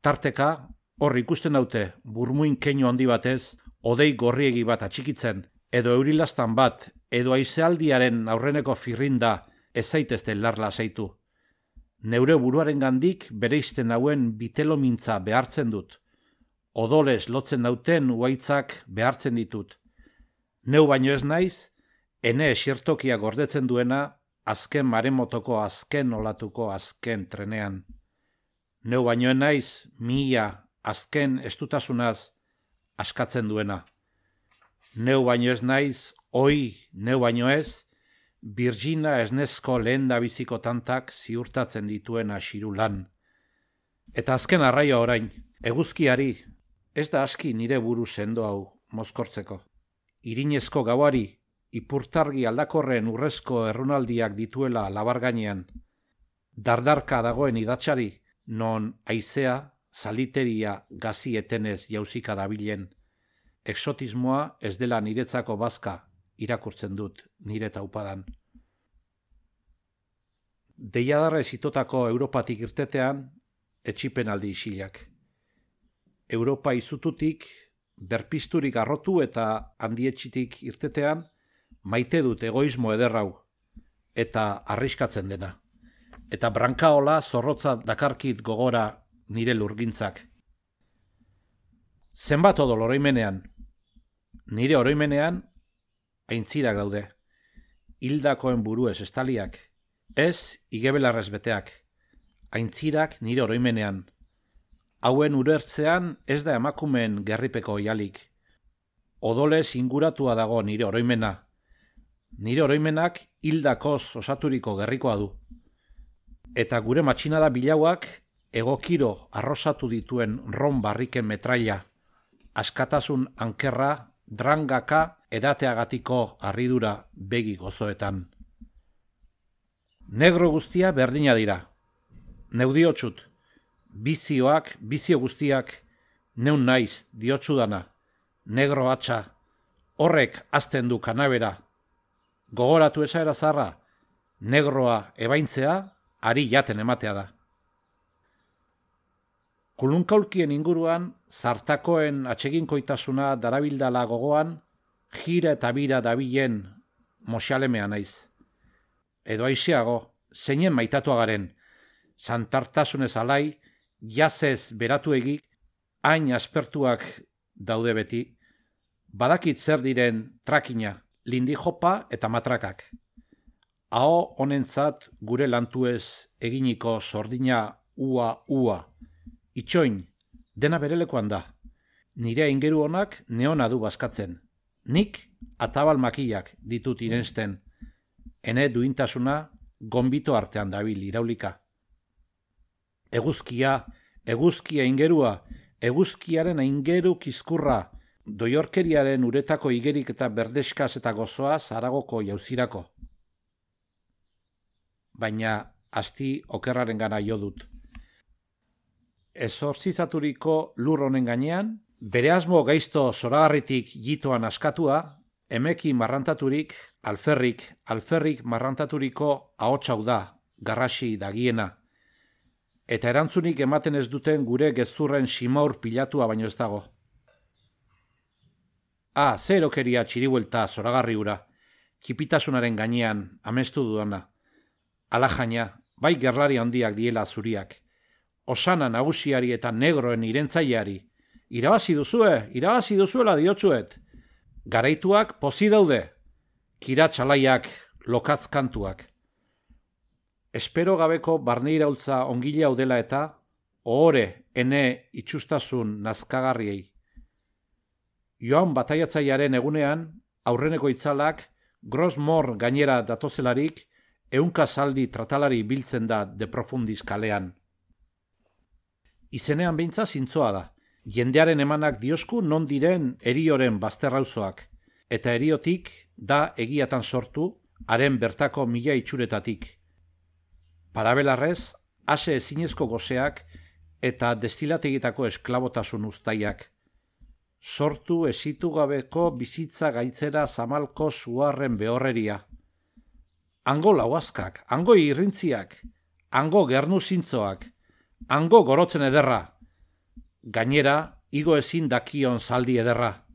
Tarteka, hor ikusten daute burmuin keinu handi batez, odei gorriegi bat atxikitzen, edo eurilastan bat, edo aizealdiaren aurreneko firrinda ez zaitezte larla zaitu. Neure buruaren gandik bereizten hauen bitelomintza behartzen dut. Odolez lotzen dauten uaitzak behartzen ditut. Neu baino ez naiz, ene esiertokia gordetzen duena, azken maremotoko azken olatuko azken trenean. Neu baino ez naiz, 1000 azken estutasunaz askatzen duena. Neu baino ez naiz, neu baino ez, Virgina esnezko lehen dabiziko tantak ziurtatzen dituena xirulan. Eta azken arraia orain, eguzkiari, ez da aski nire buru sendo hau mozkortzeko. Irinezko gauari, ipurtargi aldakorren urrezko errunaldiak dituela labar gainean. Dardarka dagoen idatzari, non haizea, zaliteria gazi etenez jauzika dabilen. Exotismoa ez dela niretzako bazka, irakurtzen dut nire taupadan. Deiadarrez itotako Europatik irtetean, etxipenaldi isilak. Europa izututik, berpizturik arrotu eta handietxitik irtetean, maite dut egoismo ederrau, eta arriskatzen dena. Eta brankaola zorrotza dakarkit gogora nire lurgintzak. Zenbat odol oroimenean, Nire oroimenean aintzirak daude. Hildakoen buruez estaliak, ez igebelarrez beteak. Aintzirak nire oroimenean. Hauen urertzean ez da emakumeen gerripeko oialik. Odolez inguratua dago nire oroimena. Nire oroimenak hildakoz osaturiko gerrikoa du. Eta gure matxinada bilauak egokiro arrosatu dituen ron barriken metraila, askatasun ankerra, drangaka edateagatiko harridura begi gozoetan. Negro guztia berdina dira. Neu diotsut, bizio guztiak, neun naiz diotsudana, negro hatxa, horrek azten du kanabera. Gogoratu esaera zarra, negroa ebaintzea, ari jaten ematea da. Kulunkaulkien inguruan, zartakoen atseginkoitasuna darabildala gogoan, jira eta bira dabilen moxalemea naiz. Edo aiseago, zeinen maitatua garen, santartasunez alai, jazez beratuegik, hain aspertuak daude beti, badakit zer diren trakina, lindijopa eta matrakak. Aho honentzat gure lantuez eginiko sordina ua. Itxoin, dena berelekoan da. Nire aingeru honak neona du bazkatzen. Nik atabal makillak ditut irensten. Ene duintasuna gonbito artean dabil iraulika. Eguzkia aingerua, eguzkiaren aingeru kizkurra, doiorkeriaren uretako igerik eta berdeskaz eta gozoaz Aragoko jauzirako. Baina asti okerraren gana jo dut. Ezortzizaturiko lur honen gainean, bere asmo gaizto zoragarritik jitoan askatua, emeki marrantaturik, alferrik marrantaturiko ahotsau da, garrasi dagiena. Eta erantzunik ematen ez duten gure gezurren simaur pilatua baino ez dago. Ze erokeria txiribuelta zoragarri ura, txipitasunaren gainean amestu dudana. Alajaina, bai gerlari handiak diela zuriak. Osana nagusiari eta negroen irentzaileari. Irabazi duzuela diotsuet. Garaituak pozi daude. Kiratxalaiak lokatzkantuak. Espero gabeko barneiraultza ongile hau dela eta ohore ene itxustasun nazkagarriei. Joan bataiatzailearen egunean, aurreneko itzalak, Grosmor gainera datozelarik, ehunka zaldi tratalari biltzen da de profundis kalean. Izenean behintza zintzoa da. Jendearen emanak diosku non diren erioren bazterrauzoak, eta eriotik da egiatan sortu, haren bertako mila itxuretatik. Parabelarrez, ase ezinezko goseak eta destilategitako esklabotasun uztaiak. Sortu esitu gabeko bizitza gaitzera zamalko suarren behorreria. Hango lauazkak, hango irrintziak, hango gernu zintzoak, hango gorotzen ederra. Gainera, igo ezin dakion zaldi ederra.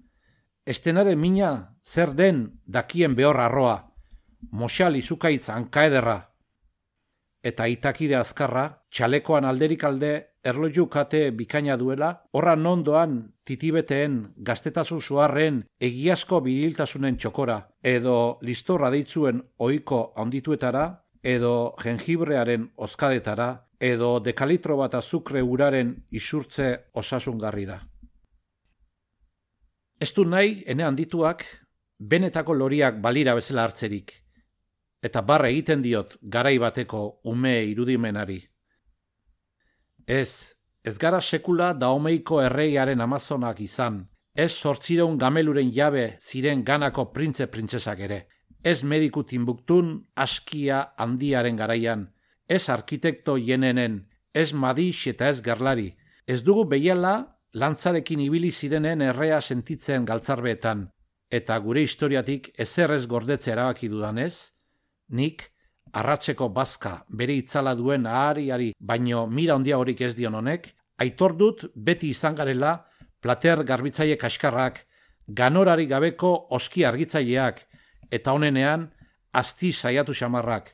Estenaren mina zer den dakien behor arroa, moxal izukaitz hanka ederra. Eta itakide azkarra, txalekoan alderik alde erloju kate bikaina duela, horra nondoan titibeteen gaztetasun suarren egiazko biriltasunen txokora, edo listorra deitzuen ohiko handituetara, edo jengibrearen oskadetara, edo dekalitro bat azukre uraren isurtze osasungarrira. Ez du nahi, ene handituak, benetako loriak balira bezala hartzerik, eta barra egiten diot garai bateko ume irudimenari. Ez gara sekula daomeiko erreiaren amazonak izan, ez 800 gameluren jabe ziren ganako printze-printzesak ere, ez mediku Timbuktun askia handiaren garaian, ez arkitekto jenenen, ez Madix eta ez Gerlari, ez dugu behiala lantzarekin ibili zirenen errea sentitzen galtzarbeetan, eta gure historiatik ezer ez gordetze erabaki dudanez, nik arratseko bazka bere itzala duen ahariari baino mira handia horik ez dion honek, aitor dut beti izan garela plater garbitzaile kaskarrak, ganorari gabeko oski argitzaileak, eta honenean asti saiatu xamarrak,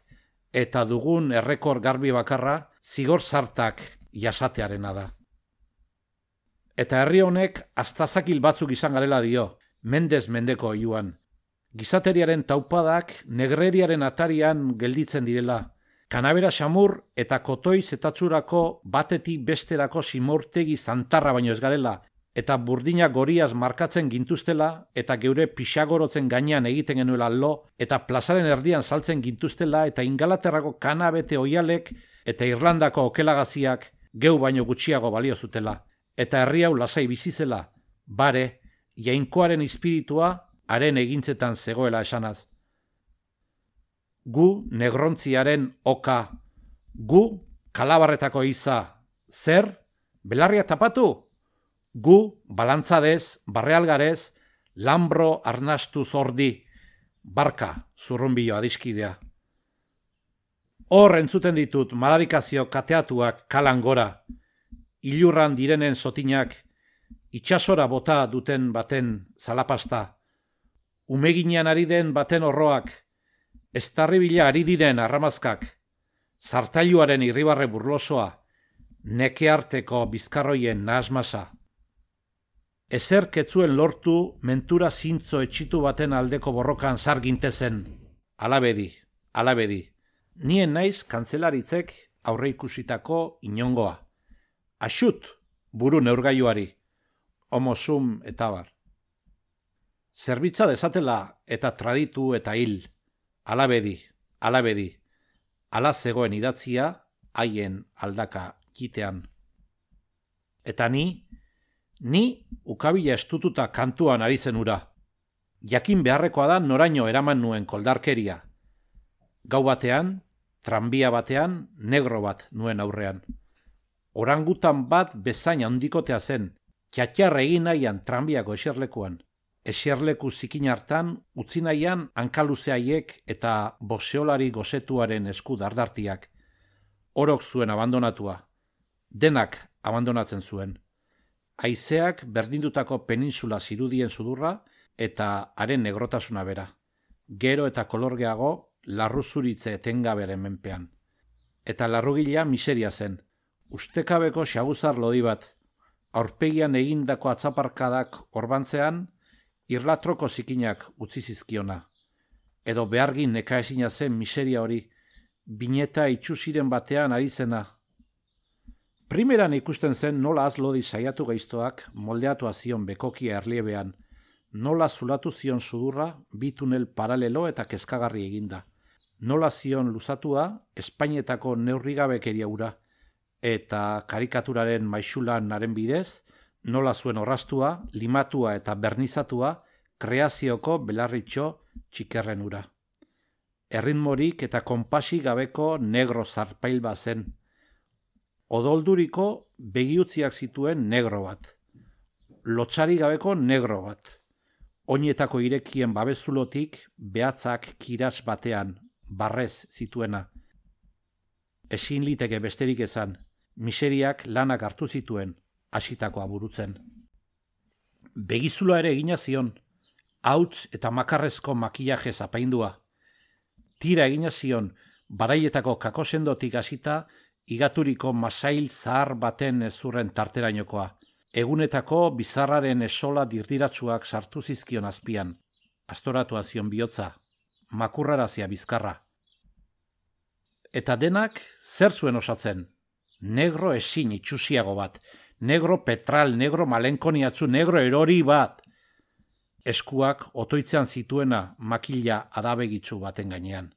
eta dugun errekor garbi bakarra zigor zartak jasatearena da. Eta herri honek astazakil batzuk izan garela dio, mendez mendeko oiuan. Gizateriaren taupadak negreriaren atarian gelditzen direla. Kanabera xamur eta kotoi zetatzurako batetik besterako simortegi zantarra baino ez garela, eta burdina goriaz markatzen gintuztela, eta geure pixagorotzen gainean egiten genuela lo, eta plazaren erdian saltzen gintuztela, eta Ingalaterrako kanabete oialek, eta Irlandako okelagaziak geu baino gutxiago balio zutela, eta herri hau lasai bizizela, bare, jainkoaren espiritua haren egintzetan zegoela esanaz. Gu negrontziaren oka, gu kalabarretako iza, zer? Belarria tapatu? Gu balantzadez, barrealgarez, lambro arnastu zordi, barka zurrunbilo adiskidea. Hor entzuten ditut madarikazio kateatuak kalan gora, ilurran direnen zotinak, itxasora bota duten baten zalapasta, umeginean ari den baten horroak, estarribila ari diren arramazkak, zartailuaren irribarre burlosoa, nekearteko bizkarroien nahasmasa. Ezer ketzuen lortu mentura zintzo etxitu baten aldeko borrokan zargintezen. Alabedi, alabedi. Nien naiz kantzelaritzek aurreikusitako inongoa. Axut, buru neurgailuari. Homo sum eta bar. Zerbitza dezatela eta traditu eta hil. Alabedi, alabedi. Ala zegoen idatzia haien aldaka kitean. Eta ni ukabila estututa kantuan ari zen ura. Jakin beharrekoa da noraino eraman nuen koldarkeria. Gau batean, tranbia batean, negro bat nuen aurrean. Orangutan bat bezain handikotea zen, txatxarra egin nahian tranbiako eserlekuan. Eserleku zikin hartan, utzi nahian hankaluzeaiek eta boxeolari gozetuaren esku dardartiak. Orok zuen abandonatua. Denak abandonatzen zuen. Haizeak berdindutako peninsula zirudien sudurra eta haren negrotasuna bera. Gero eta kolorgeago larruzuritze etengaberen menpean. Eta larrugila miseria zen. Ustekabeko xabuzar lodi bat. Aurpegian egindako atzaparkadak orbantzean, irlatroko zikinak utzi zizkiona. Edo behargin nekaezina zen miseria hori, bineta itxusiren batean ari zena. Primeran ikusten zen nola azlodi saiatu gaiztoak moldeatu zion bekokia erliebean, nola zulatu zion sudurra bi tunel paralelo eta kezkagarri eginda, nola zion luzatua Espainetako neurrigabekeria ura, eta karikaturaren maixulan haren bidez, nola zuen orraztua, limatua eta bernizatua kreazioko belarritxo txikerren ura. Erritmorik eta konpasi gabeko negro zarpail bat zen. Odolduriko begiutziak zituen negro bat. Lotsari gabeko negro bat. Oinetako irekien babezulotik behatzak kiras batean, barrez zituena. Ezin liteke besterik ezan, miseriak lanak hartu zituen, hasitakoa burutzen. Begizula ere egina zion, hauts eta makarrezko makillaje zapaindua. Tira egina zion, baraietako kakosendotik hasita, igaturiko masail zahar baten ezurren tarterainokoa. Egunetako bizarraren esola dirdiratsuak sartu zizkion azpian. Astoratua zion bihotza, makurrarazia bizkarra. Eta denak zer zuen osatzen? Negro ezin itxusiago bat, negro petral, negro malenkoniatzu, negro erori bat. Eskuak otoitzean zituena makila adabegitzu baten gainean.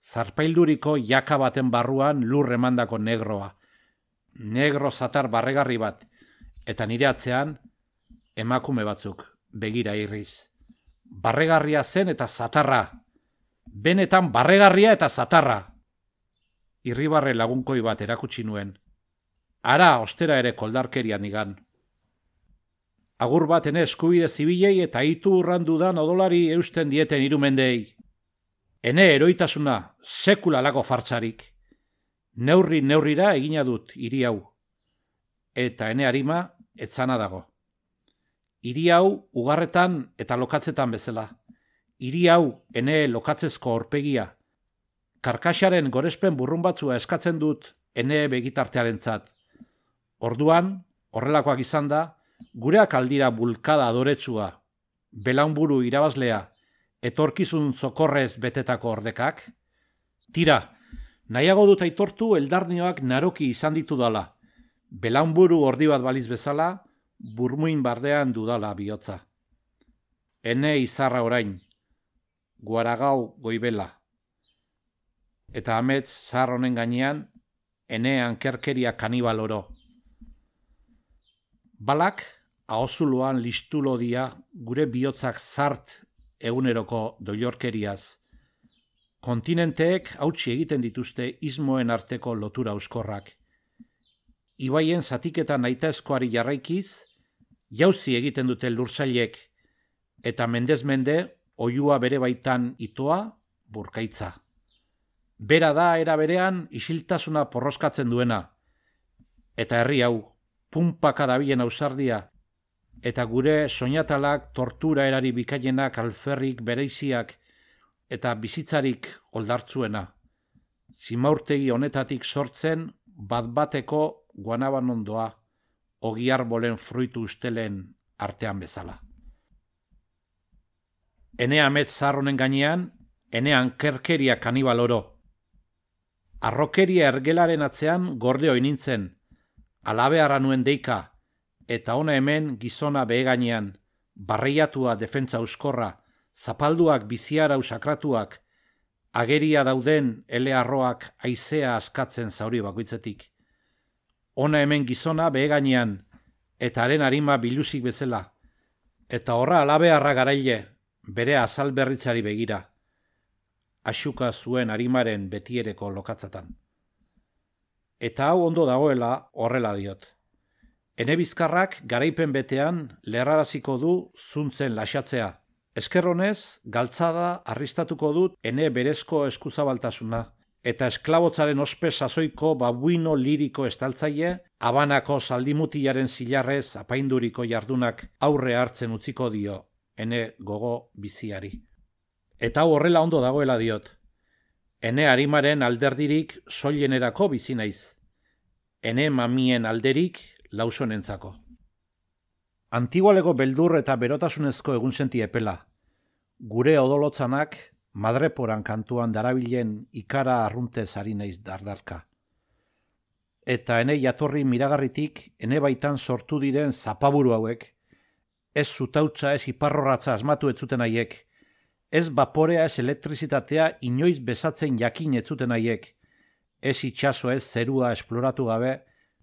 Zarpailduriko jaka baten barruan lur emandako negroa. Negro zatar barregarri bat, eta nire atzean emakume batzuk begira irriz. Barregarria zen eta zatarra. Benetan barregarria eta zatarra. Irribarre lagunkoi bat erakutsi nuen. Ara ostera ere koldarkerian igan. Agur bat ene eskubide zibilei eta itu urrandudan odolari eusten dieten irumendei. Ene eroitasuna sekula lago fartzarik. Neurrira egina dut hiri hau. Eta ene harima etzana dago. Hiri hau ugarretan eta lokatzetan bezala. Hiri hau ene lokatzezko aurpegia. Karkaxaren gorespen burrun batzua eskatzen dut ene begitartearentzat. Orduan, horrelakoak izan da, gureak aldira bulkada adoretsua, belaunburu irabazlea, etorkizun zokorrez betetako ordekak? Tira, nahiago dut aitortu eldarnioak naroki izan ditu dala. Belaunburu ordi bat baliz bezala, burmuin bardean dudala bihotza. Ene izarra orain, guaragau goibela. Eta amets zahar honen gainean, ene ankerkeria kanibal oro. Balak, ahozuluan listulo dia gure bihotzak zart eguneroko doilorkeriaz. Kontinenteek hautsi egiten dituzte ismoen arteko lotura euskorrak. Ibaien zatiketa nahitaezkoari jarraikiz, jauzi egiten dute lursailek, eta mendez mende oihua bere baitan itoa burkaitza. Bera da era berean isiltasuna porroskatzen duena, eta herri hau, punpaka dabilen ausardia, eta gure soinatalak tortura erari bikainenak alferrik bereiziak eta bizitzarik oldartzuena. Zimaurtegi honetatik sortzen bat-bateko guanaban ondoa, ogiarbolen fruitu ustelen artean bezala. Ene amets zarronen gainean, ene ankerkeria kanibal oro. Arrokeria ergelaren atzean gorde hoi nintzen, alabearra nuen deika, eta ona hemen gizona behegainean, barreiatua defentza euskorra, zapalduak biziarau sakratuak, ageria dauden elearroak haizea askatzen zauri bakoitzetik. Ona hemen gizona behegainean, eta haren arima biluzik bezala, eta horra alabearra garaile, bere azal berritzari begira, asuka zuen arimaren betiereko lokatzatan. Eta hau ondo dagoela horrela diot. Ene bizkarrak garaipen betean lerraraziko du zuntzen lasatzea. Eskerronez, galtzada arristatuko dut ene berezko eskuzabaltasuna, eta esklabotzaren ospe sasoiko babuino liriko estaltzaile, Habanako zaldimutiaren zilarrez apainduriko jardunak aurre hartzen utziko dio, ene gogo biziari. Eta hau horrela ondo dagoela diot. Ene arimaren alderdirik soilenerako bizi naiz. Ene mamien alderik lausonentzako. Antigualeko beldur eta berotasunezko egun senti epela. Gure odolotzanak madreporan kantuan darabilen ikara arruntez ari naiz dardarka. Eta ene jatorri miragarritik ene baitan sortu diren zapaburu hauek, ez zutautza ez iparrorratza asmatu etzuten haiek, ez baporea ez elektrizitatea inoiz bezatzen jakin etzuten haiek, ez itxaso ez zerua esploratu gabe,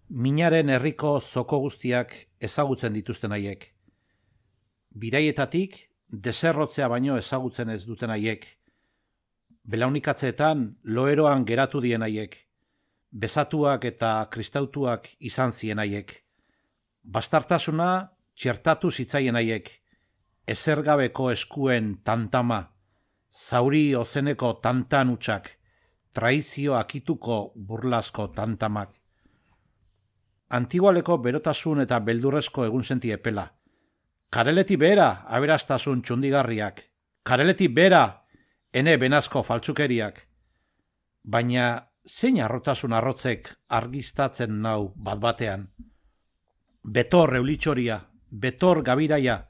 minaren herriko zoko guztiak ezagutzen dituzten haiek. Biraietatik deserrotzea baino ezagutzen ez duten haiek. Belaunikatzeetan loeroan geratu dien haiek. Bezatuak eta kristautuak izan zien haiek. Bastartasuna txertatu zitzaien haiek. Ezergabeko eskuen tantama, zauri ozeneko tantan utxak, traizio akituko burlasko tantamak. Antigualeko berotasun eta beldurrezko egun senti epela. Kareleti bera aberastasun txundigarriak. Kareleti bera ene benazko faltsukeriak. Baina zein arrotasun arrotzek argiztatzen nau bat-batean. Betor eulitxoria, betor gabiraia,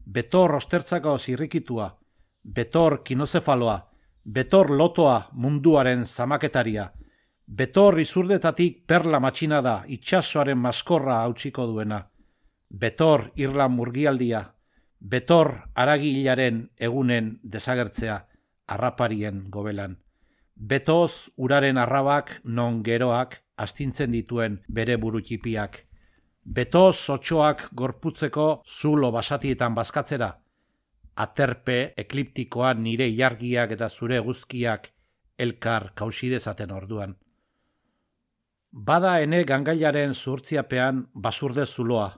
betor ostertzako zirrikitua, betor kinozefaloa, betor lotoa munduaren zamaketaria, betor izurdetatik perla matxinada itxasoaren maskorra hautsiko duena, betor irlan murgialdia, betor aragi hilaren egunen desagertzea arraparien gobelan, betoz uraren arrabak non geroak astintzen dituen bere burutxipiak, betoz otxoak gorputzeko zulo basatietan bazkatzera, aterpe ekliptikoan nire ilargiak eta zure guzkiak elkar kausidezaten orduan. Bada ene gangailaren zuhurtziapean basurde zuloa,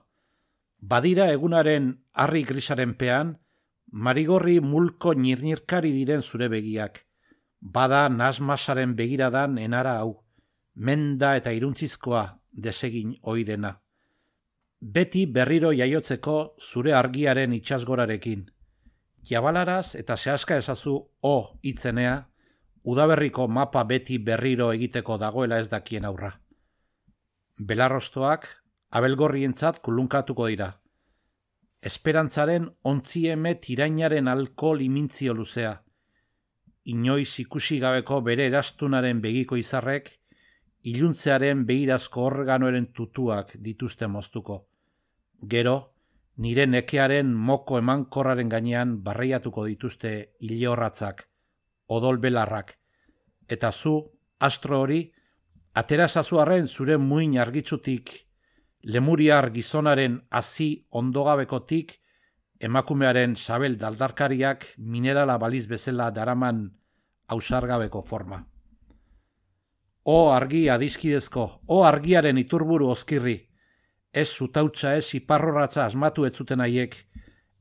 badira egunaren harri grisaren pean, marigorri mulko nirnirkari diren zure begiak, bada nasmasaren begiradan enara hau, menda eta iruntzizkoa desegin oidena. Beti berriro jaiotzeko zure argiaren itxasgorarekin. Jabalaraz eta zehaska ezazu o hitzenea, udaberriko mapa beti berriro egiteko dagoela ez dakien aurra. Belarrostoak abelgorrientzat kulunkatuko dira. esperantzaren ontzieme tirainaren alkohol imintzio luzea. Inoiz ikusi gabeko bere erastunaren begiko izarrek, iluntzearen begirazko organoaren tutuak dituzte moztuko. Gero, nire nekearen moko emankorraren gainean barreiatuko dituzte ilehorratzak, odol belarrak, eta zu, astro hori, aterazazuarren zure muin argitzutik, lemuriar gizonaren hazi ondogabekotik, emakumearen sabel daldarkariak minerala baliz bezala daraman ausargabeko forma. O argi adiskidezko, o argiaren iturburu ozkirri, ez zutautza ez iparrorratza asmatu etzuten haiek,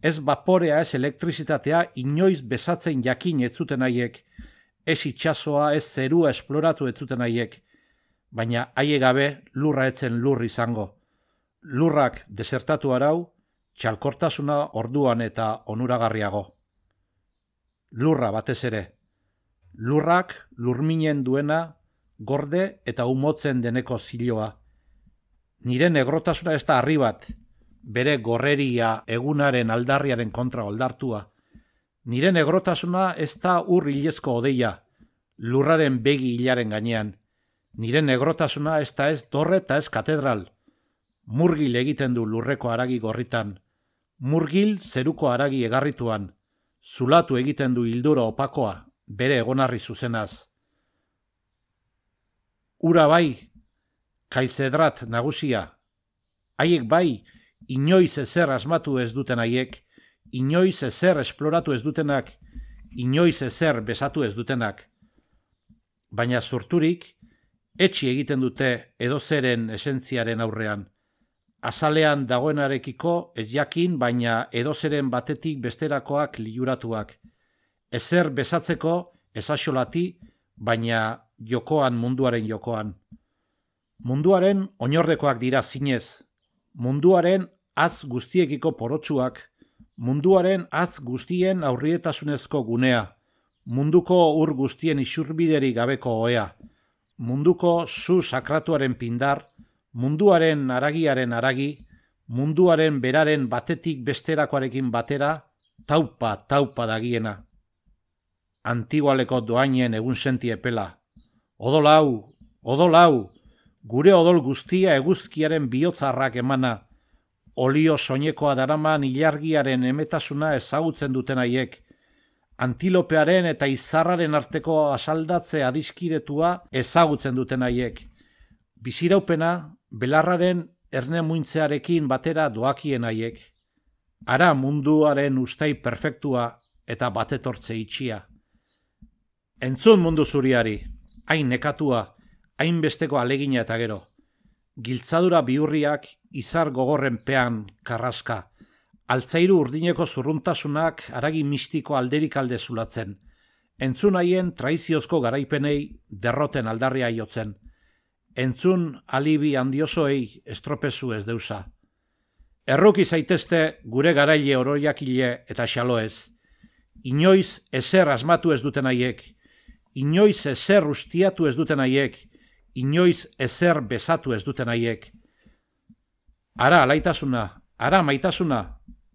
ez vaporea ez elektrizitatea inoiz bezatzen jakin etzuten haiek, ez itxasoa ez zerua esploratu etzuten haiek, baina haie gabe lurra etzen lur izango. Lurrak desertatu arau, txalkortasuna orduan eta onuragarriago. Lurra batez ere. Lurrak lurminen duena, gorde eta umotzen deneko ziloa. Nire negrotasuna ez da harri bat, bere gorreria egunaren aldarriaren kontra oldartua. Nire negrotasuna ez da ur hilezko odeia, lurraren begi hilaren gainean. Nire negrotasuna ez da ez dorre eta ez katedral. Murgil egiten du lurreko haragi gorritan. Murgil zeruko haragi egarrituan. Zulatu egiten du hilduro opakoa, bere egonarri zuzenaz. Ura bai, kaizedrat nagusia. Haiek bai, inoiz ezer asmatu ez duten haiek, inoiz ezer esploratu ez dutenak, inoiz ezer besatu ez dutenak. Baina zurturik, etxi egiten dute edozeren esentziaren aurrean. Azalean dagoenarekiko ez jakin, baina edozeren batetik besterakoak liuratuak. Ezer besatzeko ezaxolati, baina jokoan munduaren jokoan. Munduaren oinordekoak dira zinez. Munduaren az guztiekiko porotsuak. Munduaren az guztien aurrietasunezko gunea. Munduko ur guztien isurbideri gabeko oea. Munduko zu sakratuaren pindar. Munduaren haragiaren haragi, munduaren beraren batetik besterakoarekin batera, taupa dagiena. Antigualeko doainen egun senti epela. Odolau, gure odol guztia eguzkiaren bihotzarrak emana. Olio soinekoa daraman ilargiaren emetasuna ezagutzen duten haiek. Antilopearen eta izarraren arteko asaldatze adiskidetua ezagutzen duten haiek. Biziraupena, belarraren erne muintzearekin batera doakien haiek. Ara munduaren ustai perfektua eta batetortze itxia. Entzun mundu zuriari, hain nekatua, hain besteko alegina eta gero. Giltzadura biurriak izar gogorren pean karraska. Altzairu urdineko zurruntasunak haragi mistiko alderik alde zulatzen. Entzun haien traiziozko garaipenei derroten aldarria jotzen. Entzun alibi handiosoei estropezu ez deusa. Erruki zaitezte gure garaile oroiakile eta xaloez. Inoiz ezer asmatu ez duten haiek. Inoiz ezer ustiatu ez duten haiek. Inoiz ezer besatu ez duten haiek. Ara alaitasuna, ara maitasuna,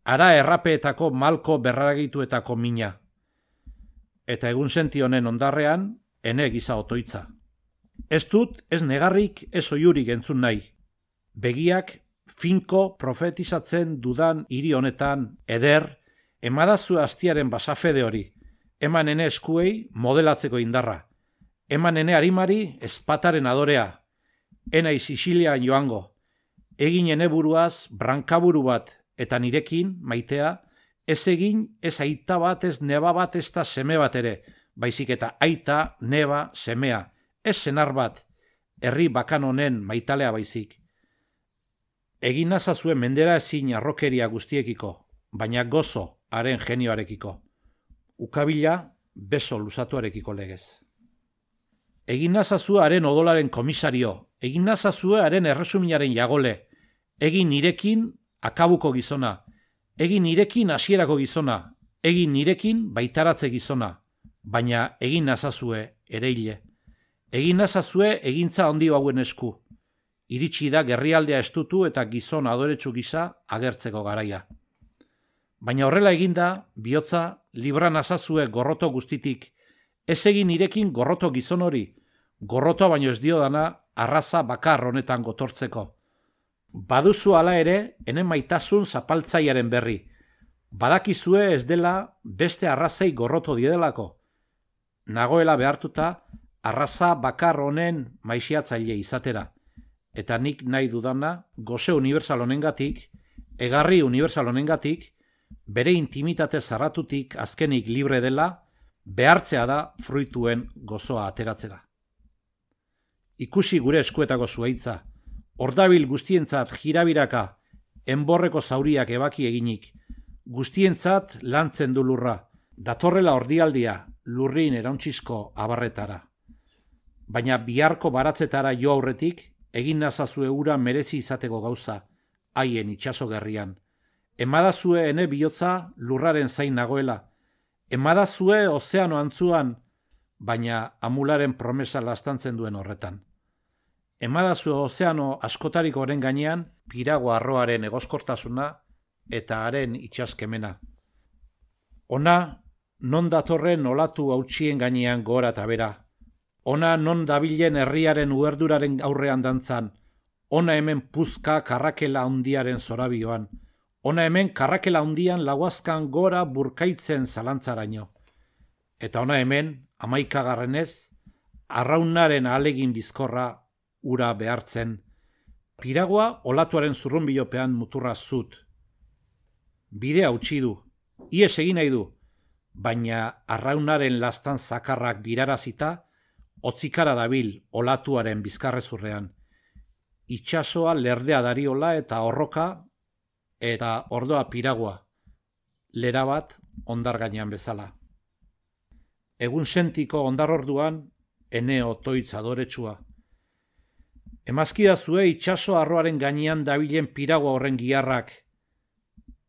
ara errapeetako malko berragituetako mina. Eta egun senti honen ondarrean, ene giza otoitza. Ez dut, ez negarrik, ez oiurik entzun nahi. Begiak finko profetizatzen dudan hiri honetan, eder, emadazu astiaren basafede hori, eman ene eskuei modelatzeko indarra, eman ene harimari ezpataren adorea, enai Sicilian joango, egin ene buruaz brankaburu bat, eta nirekin, maitea, ez egin ez aita bat, ez neba bat, ez da seme bat ere, baizik eta aita, neba, semea, ez senar bat, herri bakan honen maitalea baizik. Egin nazazue mendera ezin arrokeria guztiekiko, baina gozo haren genioarekiko. Ukabila beso luzatuarekiko legez. Egin nazazue haren odolaren komisario, egin nazazue haren erresuminaren jagole, egin nirekin akabuko gizona, egin nirekin hasierako gizona, egin nirekin baitaratze gizona, baina egin nazazue ereile. Egin nazazue egintza handi hauen esku. Iritsi da gerrialdea estutu eta gizon adoretsu gisa agertzeko garaia. Baina horrela eginda, bihotza libra nazazue gorroto guztitik, ez egin irekin gorroto gizon hori, gorrotoa baino ez dio dana arraza bakar honetan gotortzeko. Baduzu hala ere, ene maitasun zapaltzaiaren berri. Badakizue ez dela beste arrazei gorroto diedelako. Nagoela behartuta, arraza bakar honen maixiatzaile izatera. Eta nik nahi dudana, goze universal honengatik, egarri universal honengatik, bere intimitate zarratutik azkenik libre dela, behartzea da fruituen gozoa ateratzera. Ikusi gure eskuetako zuaitza, ordabil guztientzat jirabiraka, enborreko zauriak ebaki eginik, guztientzat lantzen du lurra, datorrela ordialdia lurrin erauntzizko abarretara. Baina biharko baratzetara jo aurretik, egin nazazue ura merezi izateko gauza, haien itxaso gerrian. Emadazue ene bihotza lurraren zain nagoela, emadazue ozeano antzuan, baina amularen promesa lastantzen duen horretan. Emadazue ozeano askotarik oren gainean, pirago arroaren egoskortasuna eta haren itxaskemena. Ona, non datorren olatu hautsien gainean gora eta bera. Ona non dabilen herriaren uerduraren aurrean dantzan. Ona hemen puzka karrakela handiaren zorabioan. Ona hemen karrakela handian lauazkan gora burkaitzen zalantzaraino. Eta ona hemen, 11. arraunaren ahalegin bizkorra ura behartzen. Piragoa olatuaren zurrunbilopean muturra zut. Bidea utzi du, ies egin nahi du, baina arraunaren lastan zakarrak birarazita, otzikara dabil olatuaren bizkarrezurrean. Itxasoa lerdea dariola eta horroka, eta ordoa piragoa, lera bat ondar gainean bezala. Egun sentiko ondar orduan, ene otoitz adoretsua. Emazkidazue itxaso arroaren gainean dabilen piragoa horren giharrak,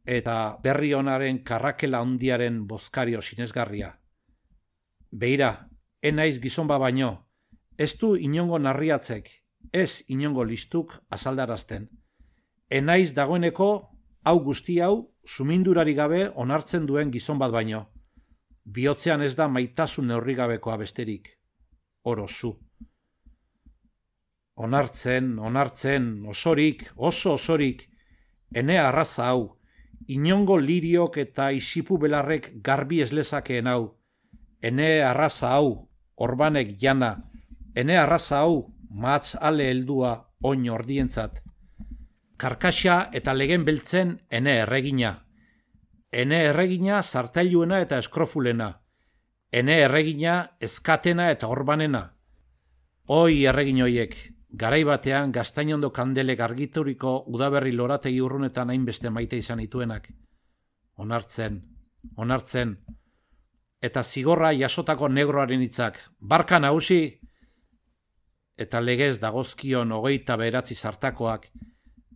eta berri honaren karrakela handiaren bozkario sinesgarria. Beira, enaiz gizon baino, ez du inongo narriatzek, ez inongo listuk azaldarazten. Enaiz dagoeneko, hau guzti hau, sumindurari gabe onartzen duen gizon bat baino. Bihotzean ez da maitasun neurrigabekoa besterik. Oro zu. Onartzen, osorik, oso osorik, ene arraza hau, inongo liriok eta isipu belarrek garbi eslezakeen hau, ene arraza hau, orbanek jana, ene arraza hau, matz ale heldua oin ordientzat. Karkaxa eta legen beltzen ene erregina. Ene erregina zartailuena eta eskrofulena. Ene erregina ezkatena eta orbanena. Oi erregin hoiek, garai batean gaztainondo kandelek argituriko udaberri lorategi urrunetan hainbeste maite izan ituenak. Onartzen. Eta zigorra jasotako negroaren hitzak, barka nagusi, eta legez dagozkion 29 zartakoak,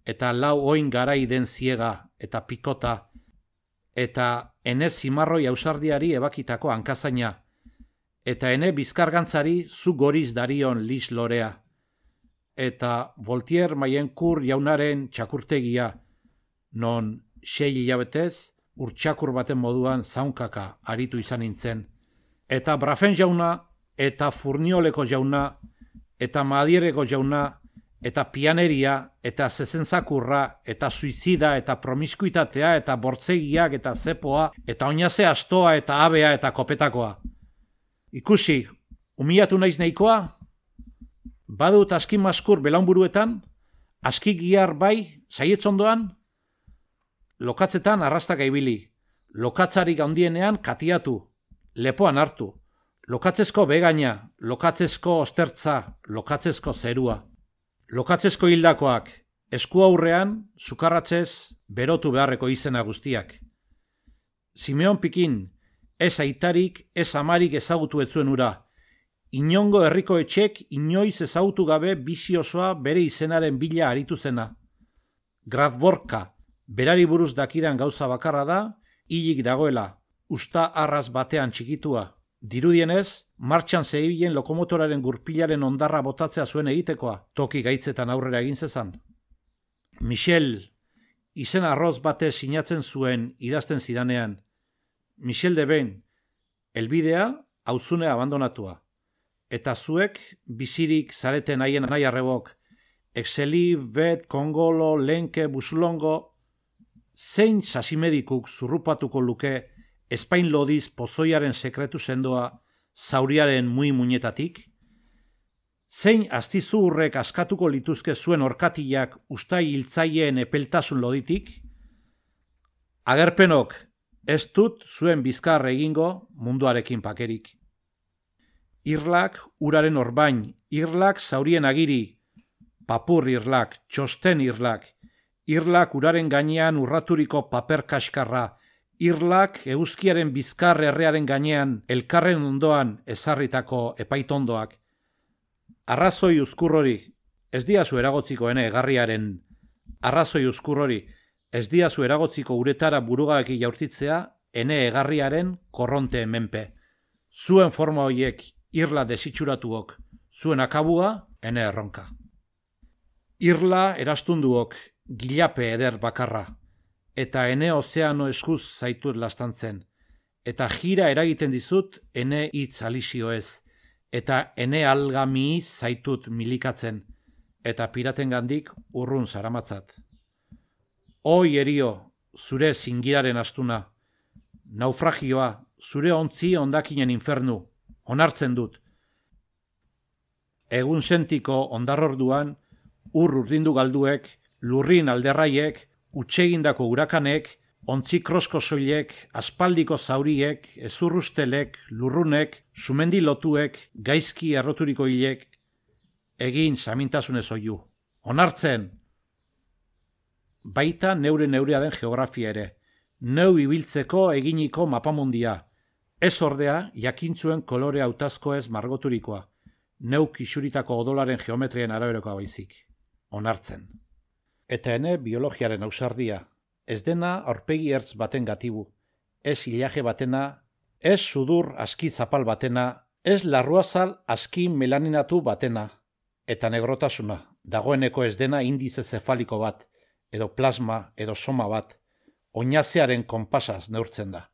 eta 4 oin garai den ziega eta pikota, eta ene zimarroi ausardiari ebakitako hankazaina, eta ene bizkargantzari zu goriz darion lis lorea, eta Voltaire Mayencourt jaunaren txakurtegia, non 6 hilabetez urtsakur baten moduan zaunkaka aritu izan nintzen, eta Brafen jauna, eta Furnioleko jauna, eta Madiereko jauna, eta pianeria, eta zezentzakurra, eta suizida, eta promiskuitatea, eta bortzegiak, eta zepoa, eta oinaze astoa, eta abea, eta kopetakoa. Ikusi, umilatu naiz nahikoa? Badut aski maskur belaunburuetan? Aski gihar bai, saietzondoan? Lokatzetan arrastaka ibili, lokatzarik handienean katiatu, lepoan hartu, lokatzezko begaina, lokatzezko ostertza, lokatzezko zerua. Lokatzezko hildakoak, esku aurrean, sukarratzez, berotu beharreko izena guztiak. Simeon Pikin, ez aitarik, ez amarik ezagutu etzuen ura. Inongo herriko etxek inoiz ezagutu gabe bizi osoa bere izenaren bila aritu zena. Gradborka, berari buruz dakidan gauza bakarra da, hilik dagoela, usta arraz batean txikitua. Dirudienez, martxan zebilen lokomotoraren gurpilaren ondarra botatzea zuen egitekoa, toki gaitzetan aurrera egin zezan. Michel, izen arroz bate sinatzen zuen idazten zidanean. Michel de Ben, helbidea auzune abandonatua. Eta zuek bizirik zareten haien nahi arrebok, Exeli, Bet, Kongolo, Lenke, Busulongo, zein sasimedikuk zurrupatuko luke Espain lodiz pozoiaren sekretu sendoa zauriaren muinetatik? Zein astizurrek askatuko lituzke zuen orkatiak ustai hiltzaileen epeltasun loditik? Agerpenok, ez dut zuen bizkar egingo munduarekin pakerik. Irlak uraren orbain, irlak zaurien agiri, papur irlak, txosten irlak, irlak uraren gainean urraturiko paper kaskarra, irlak eguzkiaren bizkar errearen gainean elkarren ondoan ezarritako epaitondoak. Arrazoi uzkurrori, ez diazu eragotziko ene egarriaren, arrazoi uzkurrori, ez diazu eragotziko uretara burugaki jaurtitzea ene egarriaren korronte menpe. Zuen forma hoiek irla desitxuratuok, zuen akabua ene erronka. Irla erastunduok gilape eder bakarra, eta ene ozeano eskuz zaitut lastantzen, eta jira eragiten dizut ene hitz alizioez, eta ene algamiiz zaitut milikatzen, eta piratengandik urrun zaramatzat. Oi erio, zure zingiraren astuna, naufragioa, zure ontzi ondakinen infernu, onartzen dut. Egun sentiko ondarrorduan, urdindu galduek, lurrin alderraiek, utsegindako urakanek, ontzi krosko soilek, aspaldiko zauriek, ezurrustelek, lurrunek, sumendi lotuek, gaizki erroturiko hilek, egin samintasunez oiu. Onartzen! Baita neurea den geografia ere, neu ibiltzeko eginiko mapamundia, ez ordea jakintzuen kolore hautazko ez margoturikoa, neuk isuritako odolaren geometrien araberokoa baizik. Onartzen. Eta ene biologiaren ausardia, ez dena aurpegi ertz baten gatibu, ez ilaje batena, ez sudur aski zapal batena, ez larruazal aski melaninatu batena, eta negrotasuna, dagoeneko ez dena indize zefaliko bat, edo plasma, edo soma bat, oinazearen konpasaz neurtzen da.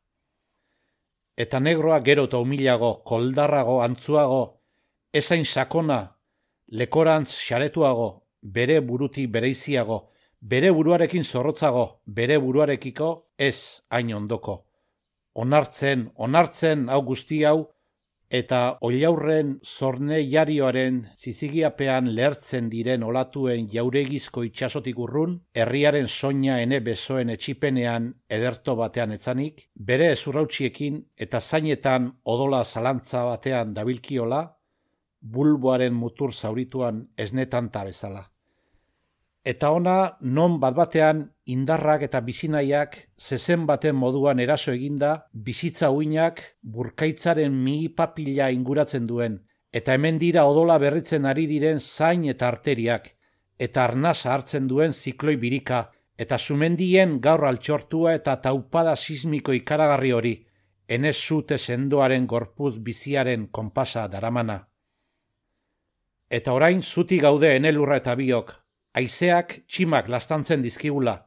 Eta negroa gero eta humilago, koldarrago, antzuago, ezain sakona, lekorantz xaretuago, bere burutik bereiziago, bere buruarekin zorrotzago, bere buruarekiko ez hain ondoko. Onartzen hau guzti hau, eta oliaurren zorne jarioaren zizigiapean lehertzen diren olatuen jauregizko itxasotik urrun, herriaren soina ene besoen etxipenean ederto batean etzanik, bere ezurrautsiekin eta zainetan odola zalantza batean dabilkiola, bulboaren mutur zaurituan esnetanta bezala. Eta ona non bat-batean indarrak eta bizinaiak zezen baten moduan eraso eginda bizitza uinak burkaitzaren mihi papila inguratzen duen, eta hemen dira odola berritzen ari diren zain eta arteriak, eta arnasa hartzen duen zikloi birika, eta sumendien gaur altxortua eta taupada sismiko ikaragarri hori, enez zute sendoaren gorpuz biziaren konpasa daramana. Eta orain zuti gaude enelurra eta biok, haizeak tximak lastantzen dizkigula,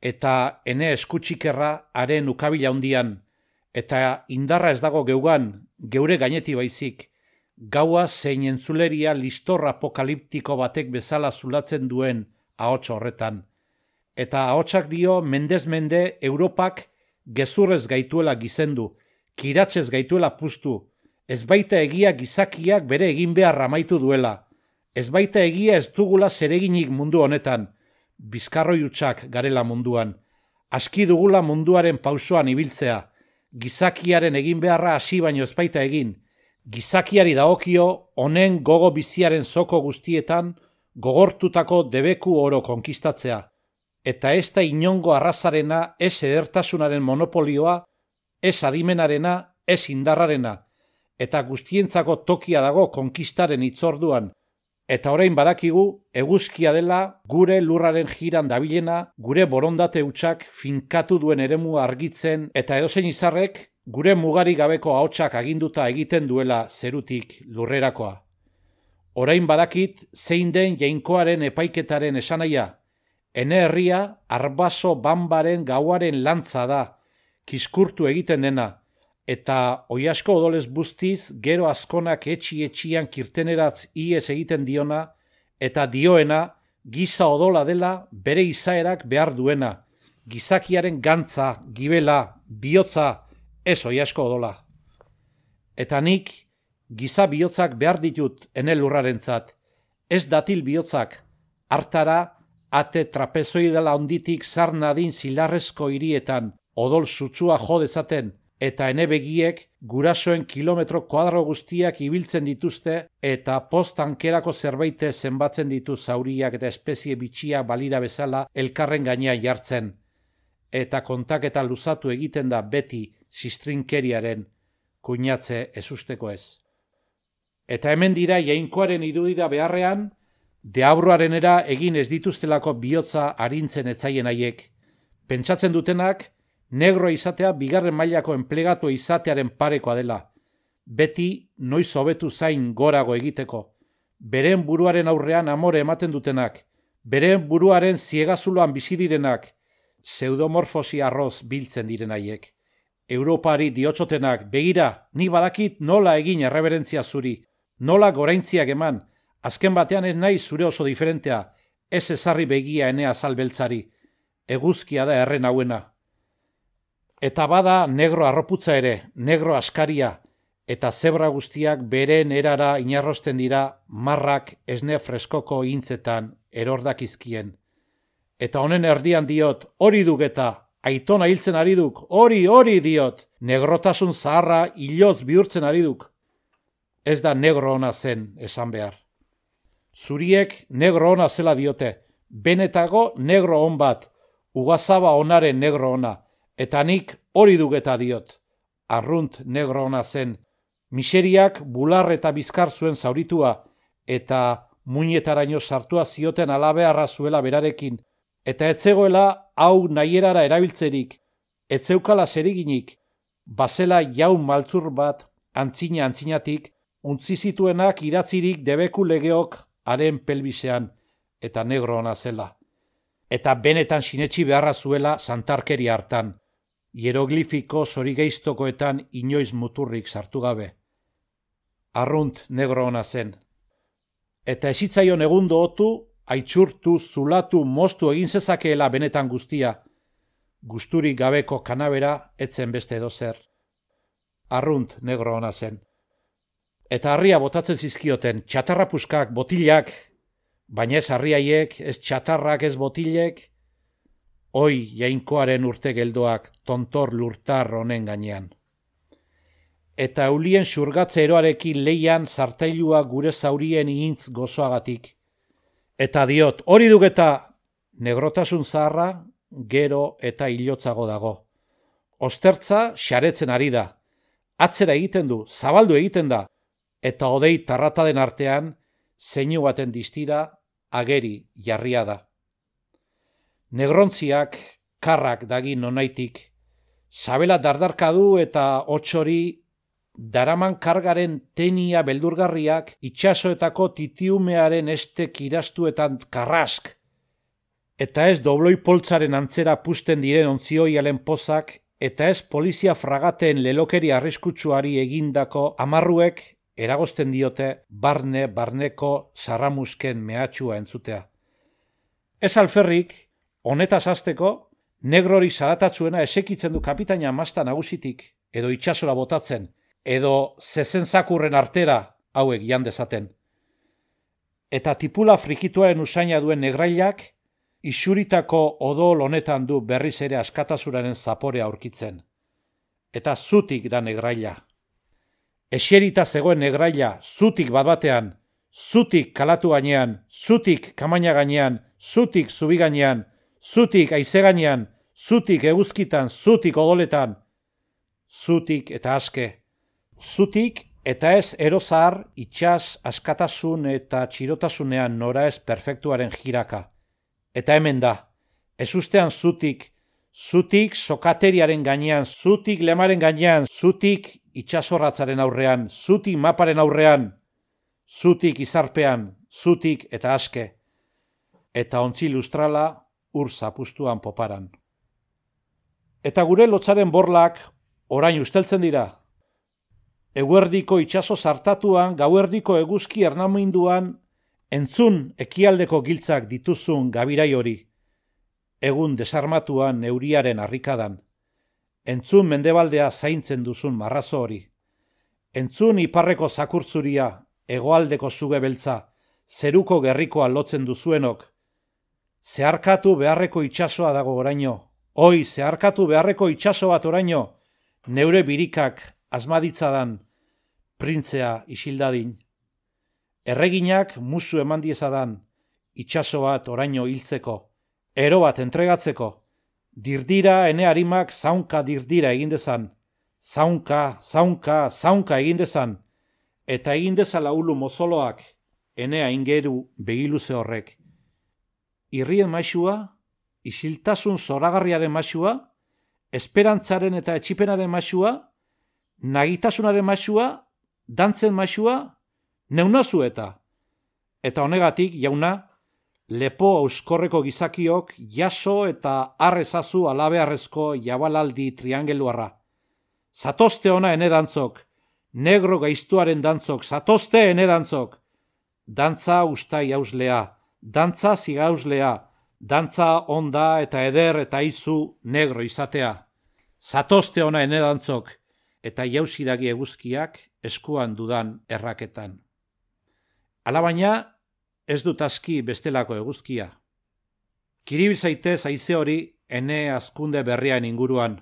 eta ene eskutxikerra haren ukabila hundian, eta indarra ez dago geugan, geure gaineti baizik, gaua zein entzuleria listor apokaliptiko batek bezala zulatzen duen ahots horretan. Eta ahotsak dio mendez mende Europak gezurrez gaituela gizendu, kiratzez gaituela puztu, ez baita egia gizakiak bere egin behar amaitu duela, ez baita egia ez dugula zereginik mundu honetan, bizkarroi hutsak garela munduan, aski dugula munduaren pausoan ibiltzea, gizakiaren egin beharra hasi baino ez baita egin, gizakiari dagokio honen gogo biziaren zoko guztietan gogortutako debeku oro konkistatzea, eta ez da inongo arrazarena, ez edertasunaren monopolioa, ez adimenarena, ez indarrarena, eta guztientzako tokia dago konkistaren hitzorduan, eta orain badakigu eguzkia dela gure lurraren jiran dabilena, gure borondate hutsak finkatu duen eremu argitzen eta edozein izarrek gure mugari gabeko ahotsak aginduta egiten duela zerutik lurrerakoa. Orain badakit zein den jainkoaren epaiketaren esanahia, Ene herria arbaso banbaren gauaren lantza da, kiskurtu egiten dena, eta oiasko odolez buztiz gero azkonak etxian kirteneratz iez egiten diona, eta dioena giza odola dela bere izaerak behar duena, gizakiaren gantza, gibela, bihotza, ez oiasko odola. Eta nik giza bihotzak behar ditut ene lurrarentzat, ez datil bihotzak, hartara ate trapezoidala onditik zar nadin zilarrezko hirietan odol sutsua jo dezaten, eta ene begiek gurasoen kilometro kuadro guztiak ibiltzen dituzte eta postankerako zerbaite zenbatzen ditu zauriak eta espezie bitxia balira bezala elkarren gainean jartzen. Eta kontaketa luzatu egiten da beti zistrinkeriaren kuinatze ezusteko ez. Eta hemen dira jainkoaren irudira beharrean, deabruarenera egin ez dituztelako bihotza arintzen etzaien haiek. Pentsatzen dutenak, negroa izatea bigarren mailako enplegatu izatearen parekoa dela. Beti noiz hobetu zain gorago egiteko. Beren buruaren aurrean amore ematen dutenak. Beren buruaren ziegazuloan bizi direnak. Pseudomorfosi arroz biltzen diren haiek. Europari diotsotenak, begira, ni badakit nola egin erreberentzia zuri. Nola goraintziak eman. Azken batean ez nahi zure oso diferentea. Ez ezarri begia enea azalbeltzari. Eguzkia da erren hauena. Eta bada negro arroputza ere, negro askaria, eta zebra guztiak beren erara inarrosten dira marrak esne freskoko intzetan erordakizkien. Eta honen erdian diot, hori duk eta, aitona hiltzen ari duk, hori diot, negrotasun zaharra hiloz bihurtzen ari duk. Ez da negro ona zen, esan behar. Zuriek negro ona zela diote, benetago negro on bat, ugazaba onaren negro ona, eta nik hori dugeta diot. Arrunt negro ona zen, miseriak bular eta bizkar zuen zauritua, eta muinetaraino sartua zioten alabearra zuela berarekin, eta etzegoela hau nahierara erabiltzerik, etzeukala zeriginik, bazela jaun maltzur bat antzinatik, untzi zituenak idatzirik debeku legeok haren pelbisean, eta negro ona zela. Eta benetan sinetsi beharra zuela santarkeria hartan, hieroglifiko zorigeiztokoetan inoiz muturrik sartu gabe. Arrunt negro ona zen. Eta ezitzaion egundo otu, aitxurtu, zulatu, moztu egin zezakeela benetan guztia. Gusturik gabeko kanabera etzen beste edozer. Arrunt negro ona zen. Eta harria botatzen zizkioten, txatarrapuskak, botilak, baina ez harriaiek, ez txatarrak, ez botilek, hoi jainkoaren urte geldoak tontor lurtar honen gainean. Eta eulien xurgatze eroarekin leian zartailua gure zaurien ihintz gozoagatik. Eta diot, hori dugeta, negrotasun zaharra, gero eta hilotzago dago. Ostertza xaretzen ari da. Atzera egiten du, zabaldu egiten da, eta odei tarrataden artean, zeinu baten distira, ageri jarria da. Negrontziak, karrak dagin nonaitik, sabela dardarkadu eta hotxori daraman kargaren tenia beldurgarriak itxasoetako titiumearen estek irastuetan karrask, eta ez dobloi poltzaren antzera pusten diren ontzioialen pozak, eta ez polizia fragateen lelokeri arriskutsuari egindako amarruek eragozten diote barneko sarramusken mehatxua entzutea. Ez alferrik, honetaz hasteko, negrori zaratatzuena esekitzen du kapitaina masta nagusitik, edo itxasora botatzen, edo zezenzakurren artera hauek jan dezaten. Eta tipula frikituaren usaina duen negrailak, isuritako odol honetan du berriz ere askatasunaren zaporea aurkitzen. Eta zutik da negraila. Eserita zegoen negraila, zutik bat-batean, zutik kalatu gainean, zutik kamaina gainean, zutik zubi gainean, zutik haize gainean, zutik eguzkitan, zutik odoletan, zutik eta aske, zutik eta ez erozar itxas askatasun eta txirotasunean nora ez perfektuaren jiraka. Eta hemen da, ez ustean zutik sokateriaren gainean, zutik lemaren gainean, zutik itxasorratzaren aurrean, zutik maparen aurrean, zutik izarpean, zutik eta aske. Eta ontzi lustrala, ur zapustuan poparan. Eta gure lotzaren borlak orain usteltzen dira. Eguerdiko itsaso zartatuan, gauerdiko eguzki ernaminduan, entzun ekialdeko giltzak dituzun gabirai hori. Egun desarmatuan euriaren harrikadan. Entzun mendebaldea zaintzen duzun marrazo hori. Entzun iparreko zakurtzuria, hegoaldeko suge beltza, zeruko gerrikoa lotzen duzuenok. Zeharkatu beharreko itsasoa dago oraino. Oi, zeharkatu beharreko itsaso bat oraino. Neure birikak asmaditzadan, printzea isildadin. Erreginak musu eman diezadan, itsaso bat oraino hiltzeko, ero bat entregatzeko. Dirdira ene harimak zaunka dirdira egin dezan. Zaunka, zaunka, zaunka egin dezan. Eta egin dezala ulu mozoloak, enea ingeru begiluze horrek. Irrien maisua, isiltasun zoragarriaren maisua, esperantzaren eta etxipenaren maisua, nagitasunaren maisua, dantzen maisua, neunazu eta. Eta honegatik, jauna, lepo auskorreko gizakiok jaso eta arrezazu alabearrezko jabalaldi triangeluarra. Zatozte ona ene dantzok, negro gaiztuaren dantzok, zatozte ene dantzok. Dantza ustai hauslea, dantza zigauslea, dantza onda eta eder eta izu negro izatea. Zatozte ona ene dantzok, eta jausidagi eguzkiak eskuan dudan erraketan. Alabaina, ez dut aski bestelako eguzkia. Kiribil zaitez haize hori ene azkunde berrian inguruan.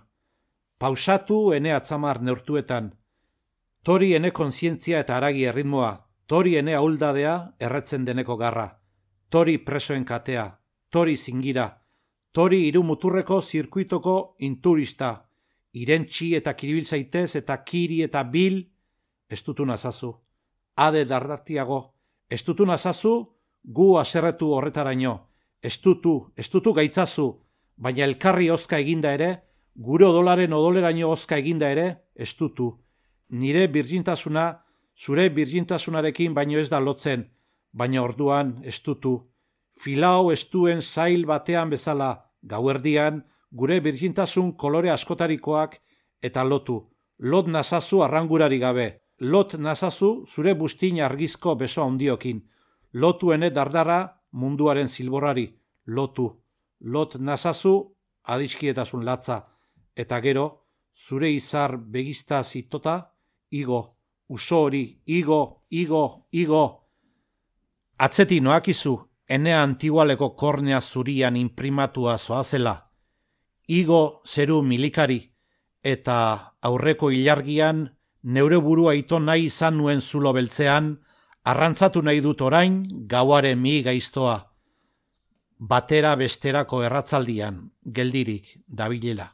Pausatu ene atzamar neurtuetan. Tori ene kontzientzia eta haragi erritmoa. Tori ene ahuldadea erretzen deneko garra. Tori presoen katea. Tori zingira. Tori irumuturreko zirkuitoko inturista. Irentxi eta kiribil zaitez eta kiri eta bil. Estutu nazazu. Ade dardartiago. Estutu nazazu. Gu aserretu horretaraino, estutu gaitzazu, baina elkarri ozka eginda ere, gure odolaren odoleraino ozka eginda ere, estutu. Nire birjintasuna, zure birjintasunarekin baino ez da lotzen, baina orduan estutu. Filau estuen zail batean bezala, gauerdian, gure birjintasun kolore askotarikoak eta lotu. Lot nazazu arrangurari gabe, lot nazazu zure bustin argizko beso handiokin. Lotu ene dardara munduaren zilborrari, lotu. Lot nazazu adiskietasun latza, eta gero, zure izar begizta zitota, igo, uso hori, igo. Atzeti noakizu, ene antigualeko kornea zurian imprimatua zoazela. Igo zeru milikari, eta aurreko ilargian, neure burua ito nahi izan nuen zulo beltzean, arrantzatu nahi dut orain gauaren mi gaiztoa. Batera besterako erratzaldian, geldirik dabilela.